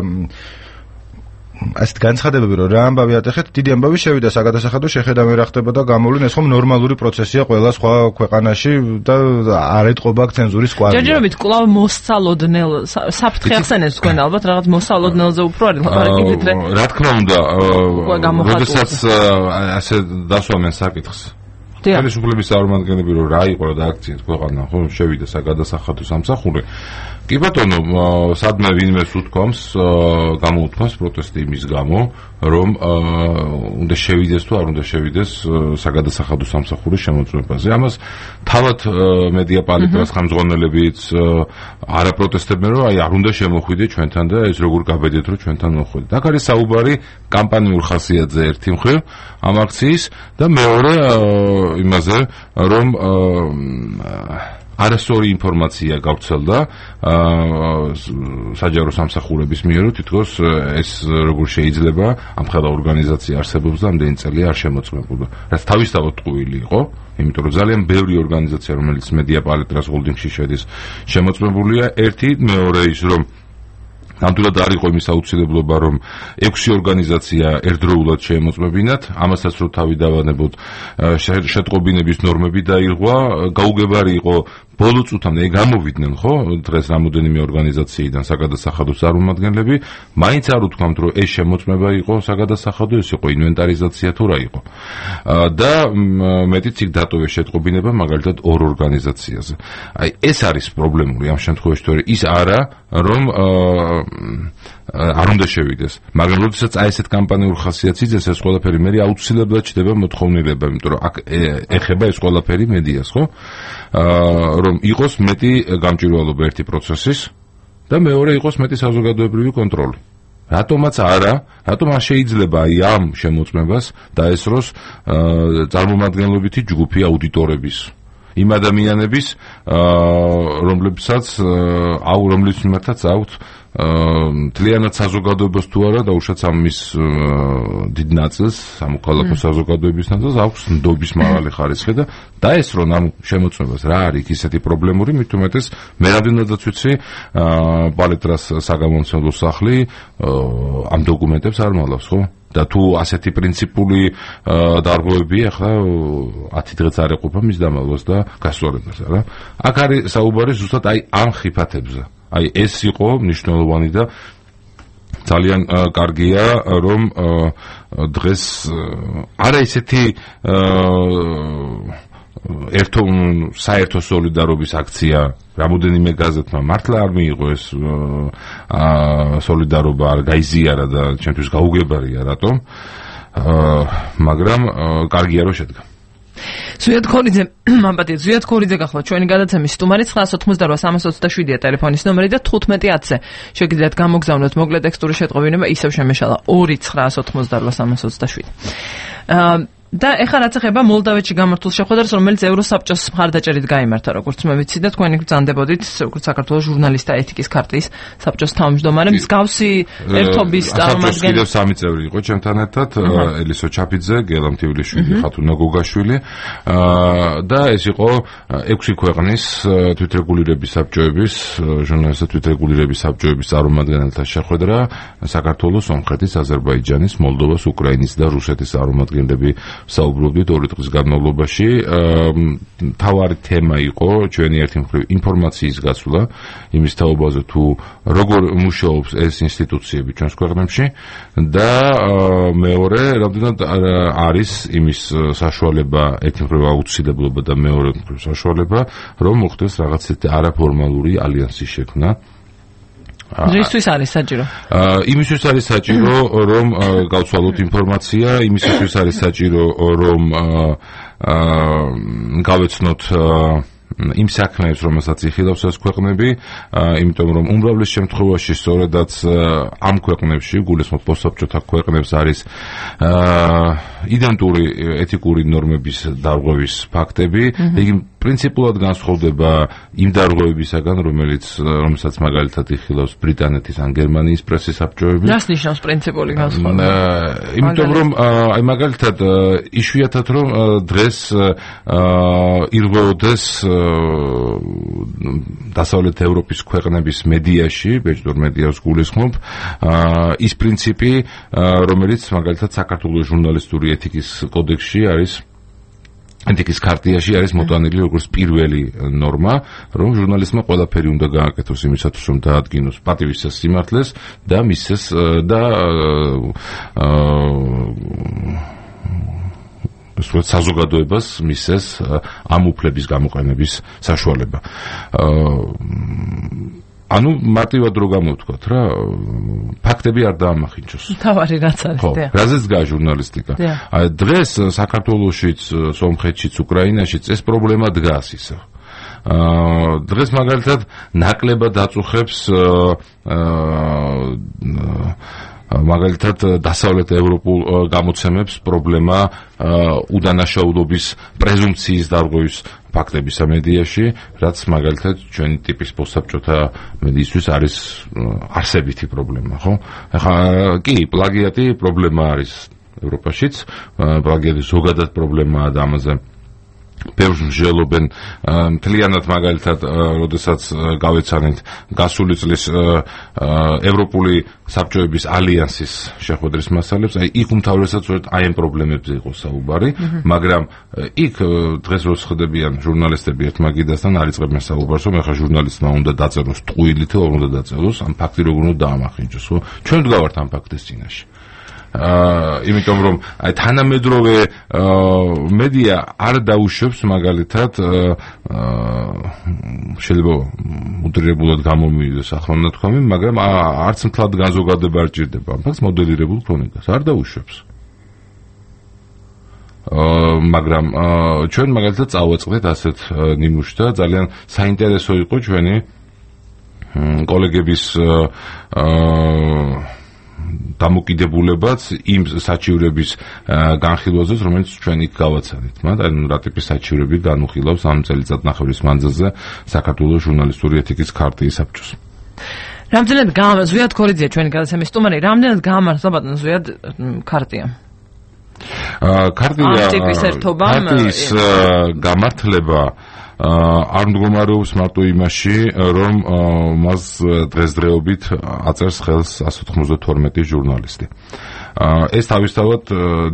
ასეთ განცხადებები, რომ რა ამბავი ატეხეთ, დიდი ამბავი შევიდა საგადასახადო შეხედავი რა ხდებოდა გამოვლენ, ეს ხომ ნორმალური პროცესია ყველა სხვა ქვეყანაში და არ ეტყობა ცენზურის კვალი. ჯერჯერობით კვლავ მოსწავლოდნელ საფრთხე ახსენებს თქვენ ალბათ რაღაც მოსწავლოდნელზე უფრო არის ლაპარაკი ვიდრე. რა თქმა უნდა, როდესაც ასე დასვამენ საკითხს. ხელისუფლების წარმომადგენლები რომ რა იყო და აქციით ქვეყანა, ხო, შევიდა საგადასახადო სამსახური. კი ბატონო, სადმე ვინმეს უთქვამს, გამოუთქვამს პროტესტი იმის გამო, რომ უნდა შევიდეს თუ არ უნდა შევიდეს საგადასახადო სამსახურის შემოწმებაზე. ამას თავად მედია პალიტრას ხელმძღვანელებიც არა პროტესტებენ, რომ აი არ უნდა შემოხვიდეთ ჩვენთან და ეს როგორ გაბედეთ, რომ ჩვენთან მოხვიდეთ. აქ არის საუბარი კამპანიურ ხასიათზე ერთი მხრივ ამ აქციის და მეორე იმაზე, რომ არასწორი ინფორმაცია გავრცელდა საჯარო სამსახურების მიერ, რომ თითქოს ეს როგორ შეიძლება ამ ხელა ორგანიზაცია არსებობს და ამდენი წელი არ შემოწმებულა. რაც თავისთავად ტყუილი იყო, იმიტომ რომ ძალიან ბევრი ორგანიზაცია, რომელიც მედია პალიტრას ჰოლდინგში შედის, შემოწმებულია. ერთი, მეორე ის, რომ ნამდვილად არ იყო იმის აუცილებლობა, რომ ექვსი ორგანიზაცია ერთდროულად შეემოწმებინათ, ამასაც რომ თავი დავანებოთ, შეტყობინების ნორმები დაირღვა, გაუგებარი იყო ბოლო წუთამდე გამოვიდნენ ხო დღეს რამოდენიმე ორგანიზაციიდან საგადასახადო წარმომადგენლები მაინც არ უთქვამთ რომ ეს შემოწმება იყო საგადასახადო ეს იყო ინვენტარიზაცია თუ რა იყო და მეტიც იქ დატოვეს შეტყობინება მაგალითად ორ ორგანიზაციაზე აი ეს არის პრობლემური ამ შემთხვევაში თუ ის არა რომ არ უნდა შევიდეს მაგრამ როდესაც აი ესეთ კამპანიურ ხასიათს იძენს ეს ყველაფერი მე აუცილებლად ჩდება მოთხოვნილება იმიტომ რომ აქ ეხება ეს ყველაფერი მედიას ხო რომ იყოს მეტი გამჭვირვალობა ერთი პროცესის და მეორე იყოს მეტი საზოგადოებრივი კონტროლი რატომაც არა რატომ არ შეიძლება აი ამ შემოწმებას დაესროს წარმომადგენლობითი ჯგუფი აუდიტორების იმ ადამიანების რომლებსაც აუ რომლის მიმართაც აქვთ მთლიანად საზოგადოებას თუ არა დაუშვათ ამის დიდ ნაწილს სამოქალაქო საზოგადოების ნაწილს აქვს ნდობის მაღალი ხარისხი და დაესრონ ამ შემოწმებას რა არის ისეთი პრობლემური მით უმეტეს მე რამდენადაც ვიცი პალეტრას საგამომცემლო სახლი ამ დოკუმენტებს არ მალავს ხო და თუ ასეთი პრინციპული დარღვევები ახლა ათი დღეც არ ეყოფა მის დამალვას და გასწორებას რა აქ არის საუბარი ზუსტად აი ამ ხიფათებზე აი ეს იყო მნიშვნელოვანი და ძალიან კარგია რომ დღეს არა ისეთი ერთო საერთო სოლიდარობის აქცია რამოდენიმე გაზეთმა მართლა არ მიიღო ეს სოლიდარობა არ გაიზიარა და ჩემთვის გაუგებარია რატომ მაგრამ კარგია რომ შედგა ზვიად ქორიძე მამბატი ზვიად ქორიძე გახლა ჩვენი გადაცემის სტუმარი ცხრაას ოცდაოთხმოცდაოთხ სამას ოცდაშვიდია ტელეფონის ნომერი და თხუთმეტი ათზე შეგიძლიათ გამოგზავნოთ მოკლე ტექსტური შეტყობინება ისევ შემეშალა ორი ცხრაას ოცდაოთხმოცდაოთხ სამას ოცდაშვიდი და ეხლა რაც ეხება მოლდავეთში გამართულ შეხვედრას, რომელიც ევროსაბჭოს მხარდაჭერით გაიმართა, როგორც მე ვიცი და თქვენი ბრძანდებოდით, როგორც საქართველოს ჟურნალისტთა ეთიკის ქარტიის საბჭოს თავმჯდომარე, მსგავსი ერთობის წარმომადგენელი. კიდევ სამი წევრი იყო ჩემთან ერთად, ელისო ჩაფიძე, გელამ თივილიშვილი, ხათუნა გოგაშვილი და ეს იყო ექვსი ქვეყნის თვითრეგულირების საბჭოების, ჟურნალისტთა თვითრეგულირების საბჭოების წარმომადგენელთა შეხვედრა საქართველოს, სომხეთის, აზერბაიჯანის, მოლდოვას, უკრაინის და რუსეთის წარმომადგენლები საუბრობდით ორი დღის განმავლობაში. თავარი თემა იყო ჩვენი ერთი მხრივ ინფორმაციის გაცვლა იმის თაობაზე თუ როგორ მუშაობს ეს ინსტიტუციები ჩვენს ქვეყნებში და მეორე რამდენად არის იმის საშუალება ერთი მხრივ აუცილებლობა და მეორე მხრივ საშუალება რომ მოხდეს რაღაც არაფორმალური ალიანსის შექმნა რისთვის არის საჭირო? იმისთვის არის საჭირო, რომ გავცვალოთ ინფორმაცია, იმისთვის არის საჭირო, რომ გავეცნოთ იმ საქმეებს, რომელსაც იხილავს ეს ქვეყნები, იმიტომ რომ უმრავლეს შემთხვევაში სწორედაც ამ ქვეყნებში, გულისხმობ პოსტსაბჭოთა ქვეყნებს არის იდენტური ეთიკური ნორმების დარღვევის ფაქტები, იგი პრინციპულად განსხვავდება იმ დარღვევებისაგან, რომელიც რომელსაც მაგალითად იხილავს ბრიტანეთის ან გერმანიის პრესის საბჭოები. რას ნიშნავს პრინციპული განსხვავება? იმიტომ რომ აი მაგალითად იშვიათად რომ დღეს ირღვეოდეს დასავლეთ ევროპის ქვეყნების მედიაში, ბეჭდურ მედიას გულისხმობ, ის პრინციპი, რომელიც მაგალითად საქართველოს ჟურნალისტური ეთიკის კოდექსში არის ეთიკის ქარტიაში არის მოტანილი როგორც პირველი ნორმა, რომ ჟურნალისტმა ყველაფერი უნდა გააკეთოს იმისათვის, რომ დაადგინოს პატივისცემ სიმართლეს და მისცეს და სწორედ საზოგადოებას მისცეს ამ უფლების გამოყენების საშუალება. ანუ მარტივად რო გამოვთქვათ რა, ფაქტები არ დაამახინჯოს. თავარი რაც არის, ხო, რაზეც დგას ჟურნალისტიკა. აი დღეს საქართველოშიც, სომხეთშიც, უკრაინაშიც ეს პრობლემა დგას ისევ. აა დღეს მაგალითად ნაკლებად აწუხებს აა მაგალითად დასავლეთ ევროპულ გამოცემებს პრობლემა უდანაშაულობის პრეზუმპციის დარღვევის ფაქტებისა მედიაში, რაც მაგალითად ჩვენი ტიპის პოსტსაბჭოთა მედიისთვის არის არსებითი პრობლემა, ხო? ახლა კი, პლაგიატი პრობლემა არის ევროპაშიც, პლაგიატი ზოგადად პრობლემაა და ამაზე ბევრს მსჯელობენ მთლიანად მაგალითად როდესაც გავეცანით გასული წლის ევროპული საბჭოების ალიანსის შეხვედრის მასალებს, აი იქ უმთავრესად აი ამ პრობლემებზე იყო საუბარი, მაგრამ იქ დღეს რო ხდებიან ჟურნალისტები ერთმაგიდასთან არ იწყებენ საუბარს, რომ ახლა ჟურნალისტმა უნდა დაწეროს ტყუილი თუ არ უნდა დაწეროს, ამ ფაქტი როგორ უნდა დაამახინჯოს, ხო? ჩვენ ვდგავართ ამ ფაქტის წინაშე. აა იმიტომ რომ აი თანამედროვე მედია არ დაუშვებს მაგალითად აა შეიძლება მუდრირებულად გამომივიდეს ახალნათქვამი, მაგრამ არც მთლად განზოგადება არ ჭირდება ამ ფაქტს მოდელირებულ ქრონიკას არ დაუშვებს. აა მაგრამ ჩვენ მაგალითად წავაწყდეთ ასეთ ნიმუშს და ძალიან საინტერესო იყო ჩვენი კოლეგების აა დამოკიდებულებაც იმ საჩივრების განხილვაზე, რომელიც ჩვენ იქ გავაცანით. მაგრამ რა ტიპის საჩივრები განუხილავს ამ წელიწადნახევრის მანძილზე საქართველოს ჟურნალისტური ეთიკის ქარტიის საბჭოს. რამდენად გაამართლა ზვიად ქორიძე ჩვენი გადაცემის სტუმარი, რამდენად გაამართლა ბატონ ზვიად ქარტია? აა ქარტია ქარტიის გამართლება არ მდგომარეობს მარტო იმაში, რომ მას დღესდღეობით აწერს ხელს ასი ათორმეტი ჟურნალისტი. ეს თავისთავად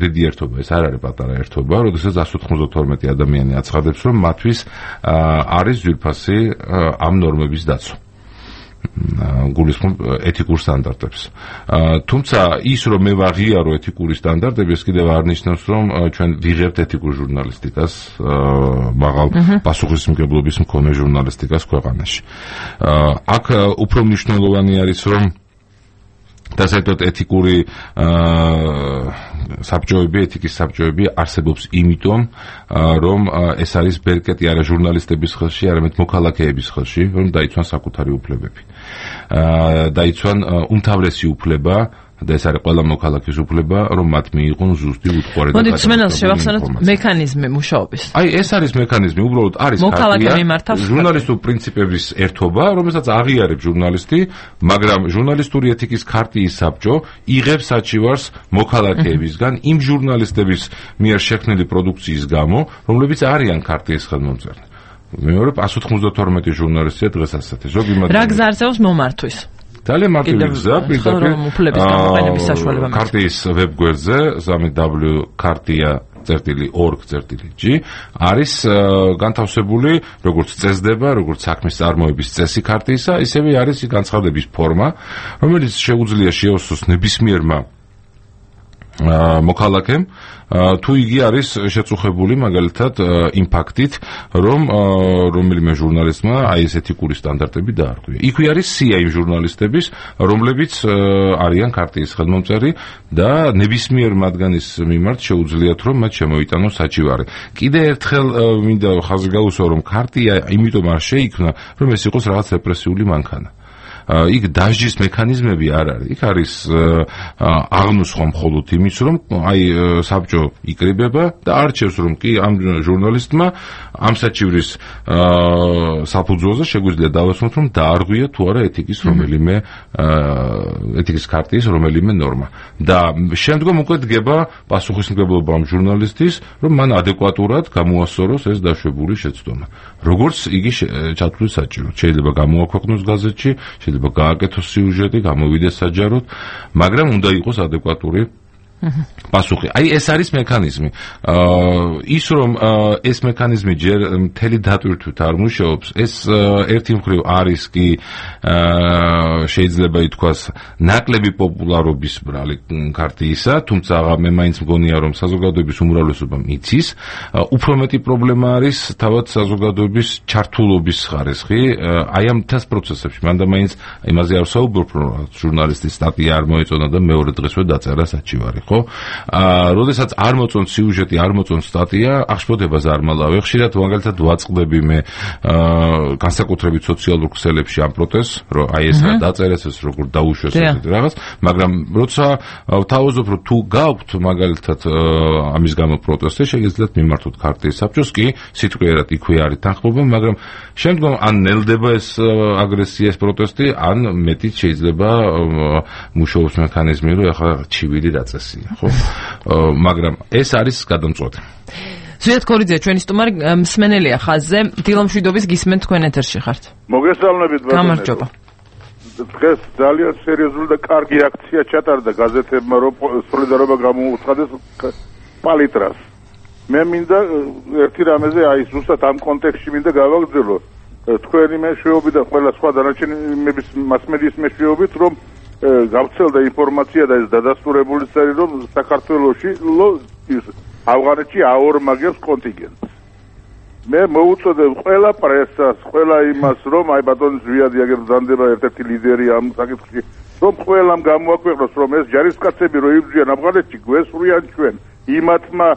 დიდი ერთობა, ეს არ არის პატარა ერთობა, როდესაც ასი ათორმეტი ადამიანი აცხადებს, რომ მათთვის არის ძვირფასი ამ ნორმების დაცვა. გულისხმობ ეთიკურ სტანდარტებს. თუმცა ის რომ მე ვაღიარო ეთიკური სტანდარტები, ეს კიდევ არ ნიშნავს, რომ ჩვენ ვიღებთ ეთიკურ ჟურნალისტიკას, მაღალ პასუხისმგებლობის მქონე ჟურნალისტიკას ქვეყანაში. აქ უფრო მნიშვნელოვანი არის, რომ და საერთოდ ეთიკური საბჭოები, ეთიკის საბჭოები არსებობს იმიტომ, რომ ეს არის ბერკეტი არა ჟურნალისტების ხელში, არამედ მოქალაქეების ხელში, რომ დაიცვან საკუთარი უფლებები. დაიცვან უმთავრესი უფლება და ეს არის ყველა მოქალაქის უფლება, რომ მათ მიიღონ ზუსტი უთხარი და მოდით სმენელს შევახსენოთ მექანიზმი მუშაობის. აი ეს არის მექანიზმი, უბრალოდ არის ქარტია, ჟურნალისტური პრინციპების ერთობა, რომელსაც აღიარებს ჟურნალისტი, მაგრამ ჟურნალისტური ეთიკის ქარტიის საბჭო იღებს საჩივარს მოქალაქეებისგან იმ ჟურნალისტების მიერ შექმნილი პროდუქციის გამო, რომლებიც არიან ქარტიის ხელმომწერნი. მეორე ასი ათორმეტი ჟურნალისტია დღეს ასეთი. ზოგი მათ რა გზა არსებობს მომართვის? ძალიან მარტივი გზა, პირდაპირ ქარტიის ვებგვერდზე სამი დაბლიუ ქარტია წერტილი ორგ წერტილი ჯი არის განთავსებული როგორც წესდება, როგორც საქმის წარმოების წესი ქარტიისა, ისევე არის განცხადების ფორმა, რომელიც შეუძლია შეოსოს ნებისმიერმა მოქალაქემ თუ იგი არის შეწუხებული მაგალითად იმ ფაქტით, რომ რომელიმე ჟურნალისტმა აი ეს ეთიკური სტანდარტები დაარღვია. იქვე არის სია იმ ჟურნალისტების, რომლებიც არიან ქარტიის ხელმომწერი და ნებისმიერ მათგანის მიმართ შეუძლიათ, რომ მათ შემოიტანოს საჩივარი. კიდე ერთხელ მინდა ხაზი გაუსვა, რომ ქარტია იმიტომ არ შეიქმნა, რომ ეს იყოს რაღაც რეპრესიული მანქანა. იქ დაჟის მექანიზმები არ არის. იქ არის აღნუსხვა მხოლოდ იმის, რომ აი საბჭო იკრიბება და არჩევს, რომ კი ამ ჟურნალისტმა ამ საჩივრის საფუძველზე შეგვიძლია დავასვათ, რომ დაარღვია თუ არა ეთიკის რომელიმე ეთიკის ქარტიის რომელიმე ნორმა. და შემდგომ უკვე დგება პასუხისმგებლობა ამ ჟურნალისტის, რომ მან ადეკვატურად გამოასწოროს ეს დაშვებული შეცდომა. როგორც იგი ჩათვლის საჭიროდ. შეიძლება გამოაქვეყნოს გაზეთში, შეიძლება გააკეთოს სიუჟეტი, გამოვიდეს საჯაროდ, მაგრამ უნდა იყოს ადეკვატური პასუხი. აი ეს არის მექანიზმი. ის რომ ეს მექანიზმი ჯერ მთელი დატვირთვით არ მუშაობს, ეს ერთი მხრივ არის კი შეიძლება ითქვას ნაკლები პოპულარობის ბრალი ქარტიისა, თუმცა მე მაინც მგონია, რომ საზოგადოების უმრავლესობა მიცის. უფრო მეტი პრობლემა არის თავად საზოგადოების ჩართულობის ხარისხი აი ამ მთელ პროცესებში. მანდა მაინც იმაზე არ ვსაუბრობ, რომ ჟურნალისტის სტატია არ მოეწონა და მეორე დღესვე დაწერა საჩივარი. ხო? აა, როდესაც არ მოწონს სიუჟეტი, არ მოწონს სტატია, აღშფოთებას არ მალავე. ხშირად მაგალითად ვაწყდები მე აა განსაკუთრებით სოციალურ ქსელებში ამ პროტესტს, რომ აი ეს რა დაწერეს, ეს როგორ დაუშვეს ესეთი რაღაც, მაგრამ როცა ვთავაზობ, რომ თუ გაქვთ მაგალითად ამის გამო პროტესტი, შეგიძლიათ მიმართოთ ქარტიის საბჭოს, კი სიტყვიერად იქვე არის თანხმობა, მაგრამ შემდგომ ან ნელდება ეს აგრესია, ეს პროტესტი, ან მეტიც შეიძლება მუშაობს მექანიზმი, რომ ახლა ჩივილი დაწესია. ხო, მაგრამ ეს არის გადამწყვეტი. ზვიად ქორიძე, ჩვენი სტუმარი მსმენელია ხაზზე. დილომშვიდობის გისმენთ თქვენ ეთერში ხართ. მოგესალმებით, გამარჯობა. დღეს ძალიან სერიოზული და კარგი აქცია ჩატარდა გაზეთებმა, რომ სოლიდარობა გამოუცხადეს პალიტრას. მე მინდა ერთი რამეზე აი ზუსტად ამ კონტექსტში მინდა გავაგრძელო. თქვენი მეშვეობით და ყველა სხვა დანარჩენი მასმედიის მეშვეობით, რომ გავრცელდა ინფორმაცია და ეს დადასტურებული წერილი, რომ საქართველოში ავღანეთში აორმაგებს კონტინგენტს. მე მოუწოდებ ყველა პრესას, ყველა იმას, რომ აი ბატონი ზვიადი აგერ ბრძანდება ერთ-ერთი ლიდერი ამ საკითხში, რომ ყველამ გამოაქვეყნოს, რომ ეს ჯარისკაცები რო იბრძვიან ავღანეთში, გვესვრიან ჩვენ იმათმა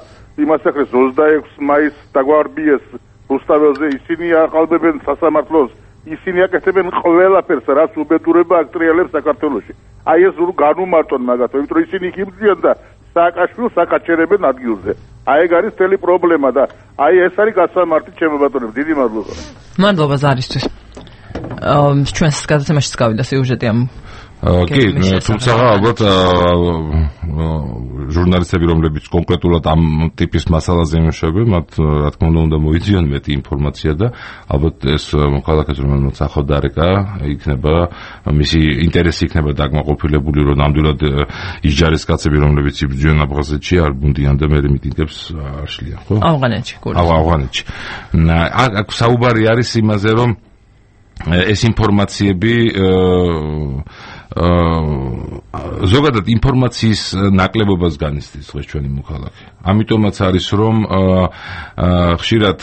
იმასაკრეს ოცდაექვსი მაისს დაგვარბიეს რუსთაველზე, ისინი აყალბებენ სასამართლოს, ისინი აკეთებენ ყველაფერს, რაც უბედურება აკტრიალებს საქართველოში. აი ეს განუმარტონ მაგათო, იმიტომ რომ ისინი იბრძვიან და სააკაშვილს აკაჩერებენ ადგილზე. აი ეგ არის მთელი პრობლემა და აი ეს არის გასამართი ჩემო ბატონო, დიდი მადლობა. მადლობა ზარისთვის. ჩვენს გადაცემაშიც გავიდა სიუჟეტი ამ კი, თუმცა ალბათ ჟურნალისტები, რომლებიც კონკრეტულად ამ ტიპის მასალაზე იმუშავებენ, მათ რა თქმა უნდა უნდა მოიძიონ მეტი ინფორმაცია და ალბათ ეს მოქალაქეს, რომელმაც ახალ დარეკა, იქნება მისი ინტერესი იქნება დაკმაყოფილებული, რომ ნამდვილად ის ჯარისკაცები, რომლებიც იბრძვიან აფხაზეთში, არ ბუნდიან და მერე მიტინგებს არ შლიან, ხო? ავღანეთში, გულს. ავღანეთში. აქ საუბარი არის იმაზე, რომ ეს ინფორმაციები ზოგადად ინფორმაციის ნაკლებობას განიცდის დღეს ჩვენი მოქალაქე. ამიტომაც არის რომ ხშირად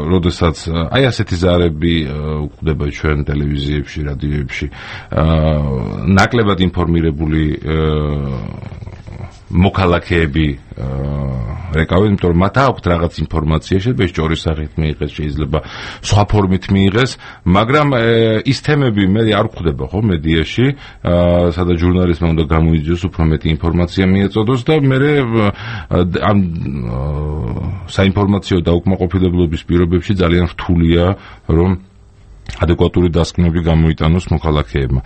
როდესაც აი ასეთი ზარები გვხვდება ჩვენ ტელევიზიებში, რადიოებში, ნაკლებად ინფორმირებული მოქალაქეები რეკავენ, იმიტომ რომ მათ აქვთ რაღაც ინფორმაცია, შეიძლება სჭორის სახით მიიღეს, შეიძლება სხვა ფორმით მიიღეს, მაგრამ ის თემები მე არ გვხვდება ხო მედიაში, სადაც ჟურნალისტმა უნდა გამოიძიოს უფრო მეტი ინფორმაცია მიეწოდოს და მე ამ საინფორმაციო დაუკმაყოფილებლობის პირობებში ძალიან რთულია რომ ადეკვატური დასკვნები გამოიტანოს მოქალაქეებმა.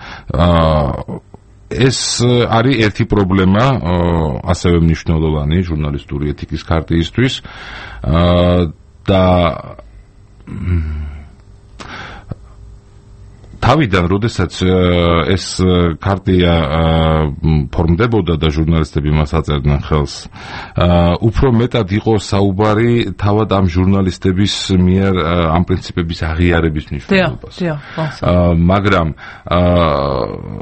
ეს არის ერთი პრობლემა, ასევე მნიშვნელოვანი ჟურნალისტური ეთიკის ქარტიისთვის და თავიდან, როდესაც ეს ქარტია ფორმდებოდა და ჟურნალისტები მას აწერდნენ ხელს, უფრო მეტად იყო საუბარი თავად ამ ჟურნალისტების მიერ ამ პრინციპების აღიარების მნიშვნელობას. მაგრამ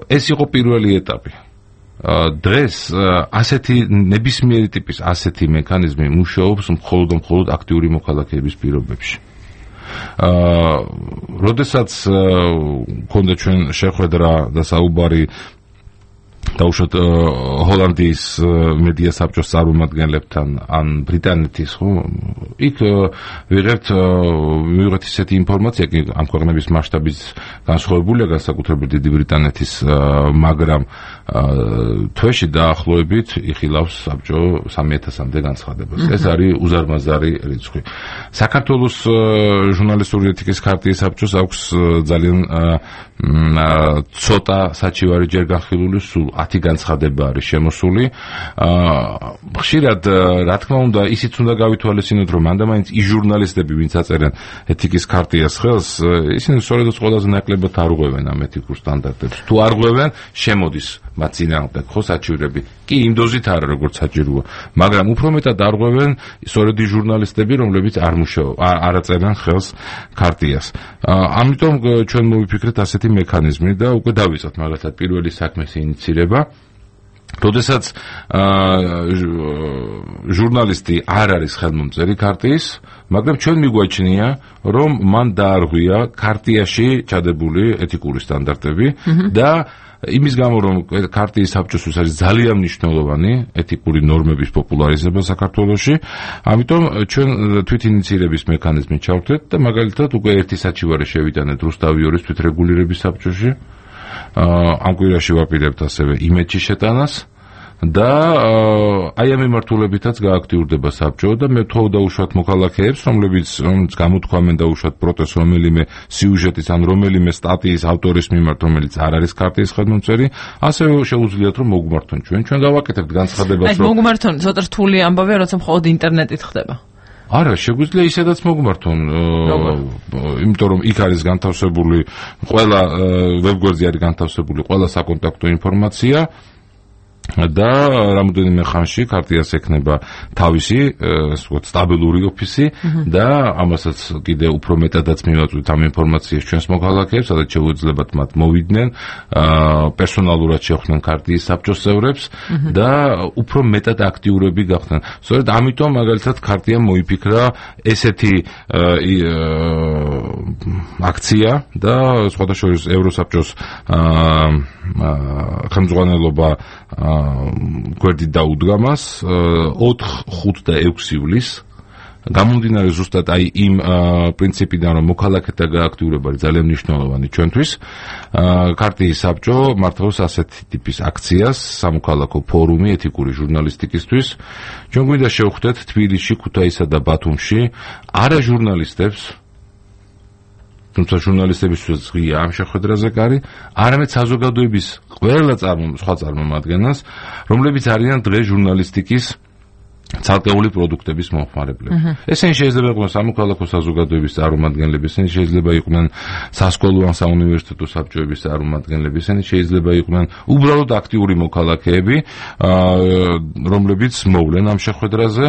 ეს იყო პირველი ეტაპი. დღეს ასეთი ნებისმიერი ტიპის ასეთი მექანიზმი მუშაობს მხოლოდ და მხოლოდ აქტიური მოქალაქეების პირობებში. აა როდესაც მქონდა ჩვენ შეხვედრა და საუბარი დაუშვათ ჰოლანდიის მედია საბჭოს წარმომადგენლებთან ან ბრიტანეთის, ხო, იქ ვიღებთ ვიღებთ ისეთი ინფორმაცია, კი ამ ქვეყნების მასშტაბის განსხვავებულია განსაკუთრებით დიდი ბრიტანეთის, მაგრამ თვეში დაახლოებით იხილავს საბჭო სამი ათასამდე განცხადებას. ეს არის უზარმაზარი რიცხვი. საქართველოს ჟურნალისტური ეთიკის ქარტიის საბჭოს აქვს ძალიან ცოტა საჩივარი ჯერ განხილული, სულ ათი განცხადება არის შემოსული. ხშირად რა თქმა უნდა ისიც უნდა გავითვალისწინოთ, რომ მანდამაინც ის ჟურნალისტები, ვინც აწერენ ეთიკის ქარტიას ხელს, ისინი სწორედ ყველაზე ნაკლებად არღვევენ ამ ეთიკურ სტანდარტებს. თუ არღვევენ, შემოდის მათ წინააღმდეგ ხო საჩივრები. კი, იმ დოზით არა, როგორც საჭიროა, მაგრამ უფრო მეტად არღვევენ სწორედ ის ჟურნალისტები, რომლებიც არ მუშაობენ, არ აწერენ ხელს ქარტიას. ამიტომ ჩვენ მოვიფიქრეთ ასეთი მექანიზმი და უკვე დავიწყეთ მაგალითად პირველი საქმის ინიცირება. როდესაც ჟურნალისტი არ არის ხელმომწერი ქარტიის, მაგრამ ჩვენ მიგვაჩნია, რომ მან დაარღვია ქარტიაში ჩადებული ეთიკური სტანდარტები და იმის გამო, რომ ქარტიის საბჭოსთვის არის ძალიან მნიშვნელოვანი ეთიკური ნორმების პოპულარიზება საქართველოში, ამიტომ ჩვენ თვით ინიცირების მექანიზმი ჩავთვლეთ და მაგალითად უკვე ერთი საჩივარი შევიტანეთ რუსთავიორის თვითრეგულირების საბჭოში. ამ კვირაში ვაპირებთ ასევე იმედში შეტანას და აი ამ მიმართულებითაც გააქტიურდება საბჭო და მე ვთხოვ დაუშვათ მოქალაქეებს, რომლებიც გამოთქვამენ დაუშვათ პროტესტს რომელიმე სიუჟეტის ან რომელიმე სტატიის ავტორის მიმართ, რომელიც არ არის ქარტიის ხელმომწერი, ასევე შეუძლიათ რომ მოგმართონ ჩვენ. ჩვენ გავაკეთებთ განცხადებას, რომ აი მოგმართონ, ცოტა რთული ამბავია, როცა მხოლოდ ინტერნეტით ხდება. არა, შეგვიძლია ისედაც მოგმართონ, იმიტომ რომ იქ არის განთავსებული ყველა ვებგვერდზე არის განთავსებული ყველა საკონტაქტო ინფორმაცია და რამოდენიმე ხანში ქარტიას ექნება თავისი, ასე ვთქვათ, სტაბილური ოფისი და ამასაც კიდე უფრო მეტადაც მივაწვით ამ ინფორმაციას ჩვენს მოქალაქეებს, სადაც შეუძლებათ მათ მოვიდნენ, პერსონალურად შეხვდნენ ქარტიის საბჭოს წევრებს და უფრო მეტად აქტიურები გახდნენ. სწორედ ამიტომ მაგალითად ქარტიამ მოიფიქრა ესეთი აქცია და სხვადასხვა ევროსაბჭოს ხელმძღვანელობა გვერდით დაუდგა მას ოთხ, ხუთ და ექვსი ივლისს გამომდინარე ზუსტად აი იმ პრინციპიდან რომ მოქალაქეთა გააქტიურება არის ძალიან მნიშვნელოვანი ჩვენთვის ქარტიის საბჭო მართავს ასეთი ტიპის აქციას სამოქალაქო ფორუმი ეთიკური ჟურნალისტიკისთვის ჩვენ გვინდა შევხვდეთ თბილისში, ქუთაისსა და ბათუმში არა ჟურნალისტებს თუმცა ჟურნალისტებისთვის ღია ამ შეხვედრაზე კარი, არამედ საზოგადოების ყველა სხვა წარმომადგენლს, რომლებიც არიან დღეს ჟურნალისტიკის ცალკეული პროდუქტების მომხმარებლები. ესენი შეიძლება იყვნენ სამოქალაქო საზოგადოების წარმომადგენლები, ესენი შეიძლება იყვნენ სასკოლო ან საუნივერსიტეტო საბჭოების წარმომადგენლები, ესენი შეიძლება იყვნენ უბრალოდ აქტიური მოქალაქეები, რომლებიც მოვლენ ამ შეხვედრაზე.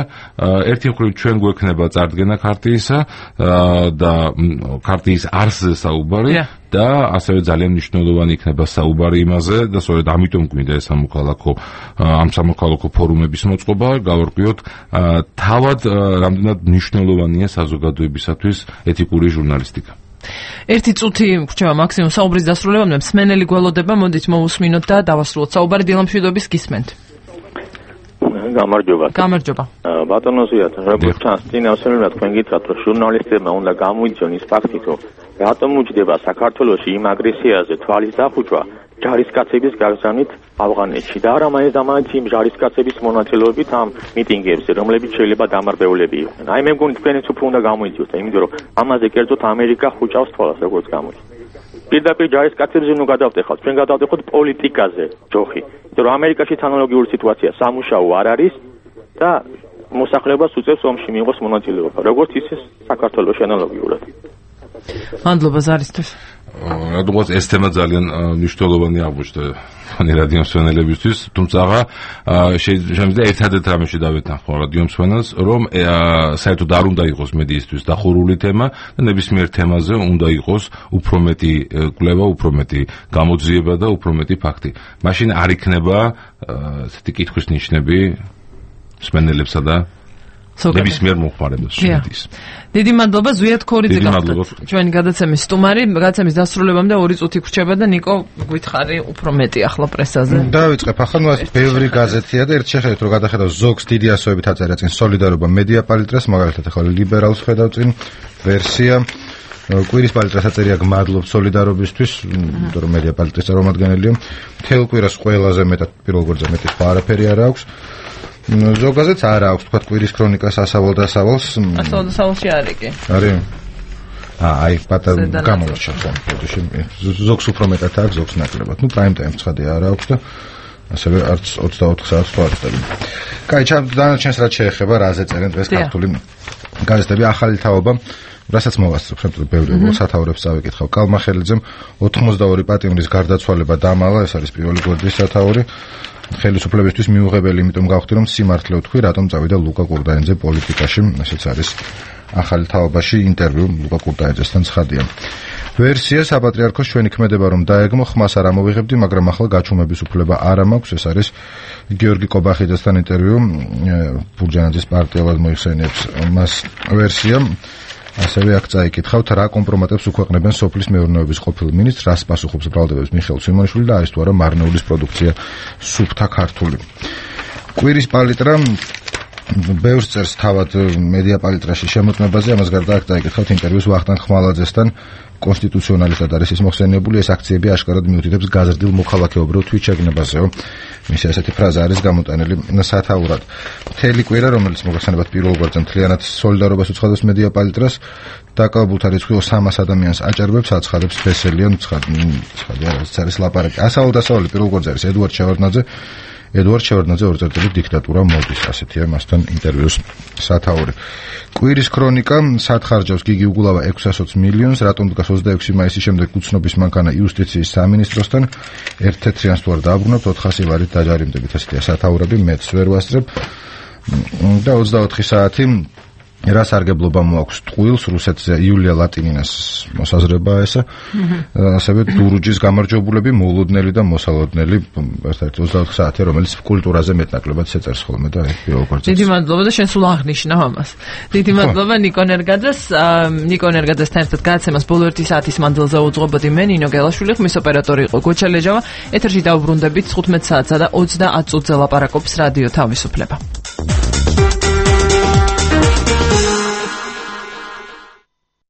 ერთი მხრივ ჩვენ გვექნება წარდგენა ქარტიისა და ქარტიის არსზე საუბარი და ასევე ძალიან მნიშვნელოვანი იქნება საუბარი იმაზე და სწორედ ამიტომ გვინდა ეს სამოქალაქო ამ სამოქალაქო ფორუმების მოწყობა, გავარკვიოთ თავად რამდენად მნიშვნელოვანია საზოგადოებისათვის ეთიკური ჟურნალისტიკა. ერთი წუთი გრჩება მაქსიმუმ საუბრის დასრულებამდე, მსმენელი გველოდება, მოდით მოვუსმინოთ და დავასრულოთ საუბარი. დილამშვიდობის გისმენთ. გამარჯობა. გამარჯობა. ბატონო ზიად, როგორც ჩანს, წინასწარ თქვენ გითხრათ, რომ ჟურნალისტებმა უნდა გამოიწვიონ ის ფაქტი, რომ რატომ უჯდება საქართველოში იმ აგრესიაზე თვალის დახუჭვა ჯარისკაცების გაგზავნით ავღანეთში და არა მაინც და მაინც იმ ჯარისკაცების მონაწილეობით ამ მიტინგებზე, რომლებიც შეიძლება დამარბეულები იყვნენ. აი მე მგონი თქვენიც უფრო უნდა გამოიწვიოთ, იმიტომ რომ ამაზე კერძოდ ამერიკა ხუჭავს თვალას, როგორც გამოდის. პირდაპირ ჯარისკაცებზე ნუ გადავტეხოთ, ჩვენ გადავტეხოთ პოლიტიკაზე ჯოხი. იმიტომ რომ ამერიკაშიც ანალოგიური სიტუაცია სამუშაო არ არის და მოსახლეობას უწევს ომში მიიღოს მონაწილეობა, როგორც ისე საქართველოში ანალოგიურად. მადლობა ზარისთვის. რადგან ეს თემა ძალიან მნიშვნელოვანი აღმოჩნდა რადიო მსმენელებისთვის, თუმცა შეიძლება ერთადერთ რამეში დავეთანხმო რადიო მსმენელს, რომ საერთოდ არ უნდა იყოს მედიისთვის დახურული თემა და ნებისმიერ თემაზე უნდა იყოს უფრო მეტი კვლევა, უფრო მეტი გამოძიება და უფრო მეტი ფაქტი. მაშინ არ იქნება ესეთი კითხვის ნიშნები მსმენელებსა და ნებისმიერ მომხმარებელს შედის. დიდი მადლობა ზვიად ქორიძე გახდათ. ჩვენი გადაცემის სტუმარი, გადაცემის დასრულებამდე ორი წუთი გრჩება და ნიკო გითხარი უფრო მეტი ახლა პრესაზე. დავიწყებ ახლა ნუ ბევრი გაზეთია და ერთ შეხედეთ რომ გადახედავ ზოგს დიდი ასოებით აწერია წინ სოლიდარობა მედია პალიტრას, მაგალითად ახლა ლიბერალს ხედავ წინ ვერსია კვირის პალიტრას აწერია გმადლობ სოლიდარობისთვის, იმიტომ რომ მედია პალიტრის წარმომადგენელია. მთელ კვირას ყველაზე მეტად პირველ გვერდზე მეტი სხვა არაფერი არ აქვს. ზოგადად არ აქვს თქვა კვირის ქრონიკას ასავალ და ასავალს. ასავალ და ასავალში არის კი. არის. აა აი პატარა გამორჩა ხო. ზოგს უფრო მეტად აქვს, ზოგს ნაკლებად. ნუ პრაიმ ტაიმს ცხადია არ აქვს და ასევე არც ოცდაოთხ საათს თუ არ ხდება. კაი, დანარჩენს რაც შეეხება, რაზე წერენ დღეს ქართული გაზეთები, ახალი თაობა რასაც მოვასწრებ, შემდგომ ბევრი სათაურებს წავიკითხავ. კალმახელიძემ ოთხმოცდაორი პატიმრის გარდაცვალება დამალა, ეს არის პირველი გვერდის სათაური. ხელისუფლებისთვის მიუღებელი, იმიტომ გავხდი რომ სიმართლე ვთქვი, რატომ წავიდა ლუკა კურდაინძე პოლიტიკაში, ესეც არის ახალი თაობაში ინტერვიუ ლუკა კურდაინძესთან ცხადია. ვერსია საპატრიარქოს ჩვენი ქმედება რომ დაეგმო, ხმას არ ამოვიღებდი, მაგრამ ახლა გაჩუმების უფლება არ მაქვს, ეს არის გიორგი კობახიძესთან ინტერვიუ, ბურჯანაძის პარტიულად მოიხსენიებს მას ვერსია. ასევე აქ წაიკითხავთ, რა კომპრომატებს უქვეყნებენ სოფლის მეურნეობის ყოფილ მინისტრს, რას პასუხობს ბრალდებებს მიხეილ სვიმონიშვილი და არის თუ არა მარნეულის პროდუქცია სუფთა ქართული. კვირის პალიტრა ბევრს წერს თავად მედია პალიტრაში შემოწმებაზე, ამას გარდა აქ წაიკითხავთ ინტერვიუს ვახტანგ ხმალაძესთან, კონსტიტუციონალისტად არის ის მოხსენიებული, ეს აქციები აშკარად მიუთითებს გაზრდილ მოქალაქეობრივ თვითშეგნებაზეო. მისი ასეთი ფრაზა არის გამოტანილი სათაურად. მთელი კვირა, რომელიც მოგახსენებათ პირველ გვერდზე მთლიანად სოლიდარობას უცხადებს მედია პალიტრას, დაკავებულთა რიცხვი სამას ადამიანს აჭარბებს, აცხადებს თესელიან ცხადია, რაც არის ლაპარაკი. ასავალ დასავალი პირველ გვერდზე არის ედუარდ შევარდნაძე. ედუარდ შევარდნაძე ორი წერტილი დიქტატურა მოდის, ასეთია მასთან ინტერვიუს სათაური. კვირის ქრონიკა სათხარჯავს გიგი უგულავა ექვსას ოცი მილიონს, რატომ დგას ოცდაექვსი მაისის შემდეგ უცნობის მანქანა იუსტიციის სამინისტროსთან, ერთ-ერთიანს თუ არ დააბრუნებთ ოთხასი ვარით დაჯარიმდებით, ასეთია სათაურები, მეც ვერ ვასწრებ. და ოცდაოთხი საათი რა სარგებლობა მოაქვს ტყუილს, რუსეთზე იულია ლატინინას მოსაზრება ესა, ასევე დურუჯის გამარჯვებულები, მოულოდნელი და მოსალოდნელი, ერთ-ერთი ოცდაოთხი საათი, რომელიც კულტურაზე მეტნაკლებად შეწერს ხოლმე და ეს როგორც დიდი მადლობა და შენ სულ აღნიშნავ ამას. დიდი მადლობა ნიკონ ერგაძეს, ნიკონ ერგაძესთან ერთად გადაცემას ბოლო ერთი საათის მანძილზე უძღვებოდი მე, ნინო გელაშვილი, ხმის ოპერატორი იყო გოჩა ლეჯავა. ეთერში დავბრუნდებით თხუთმეტ საათსა და ოცდაათ წუთზე ლაპარაკობს რადიო თავისუფლება.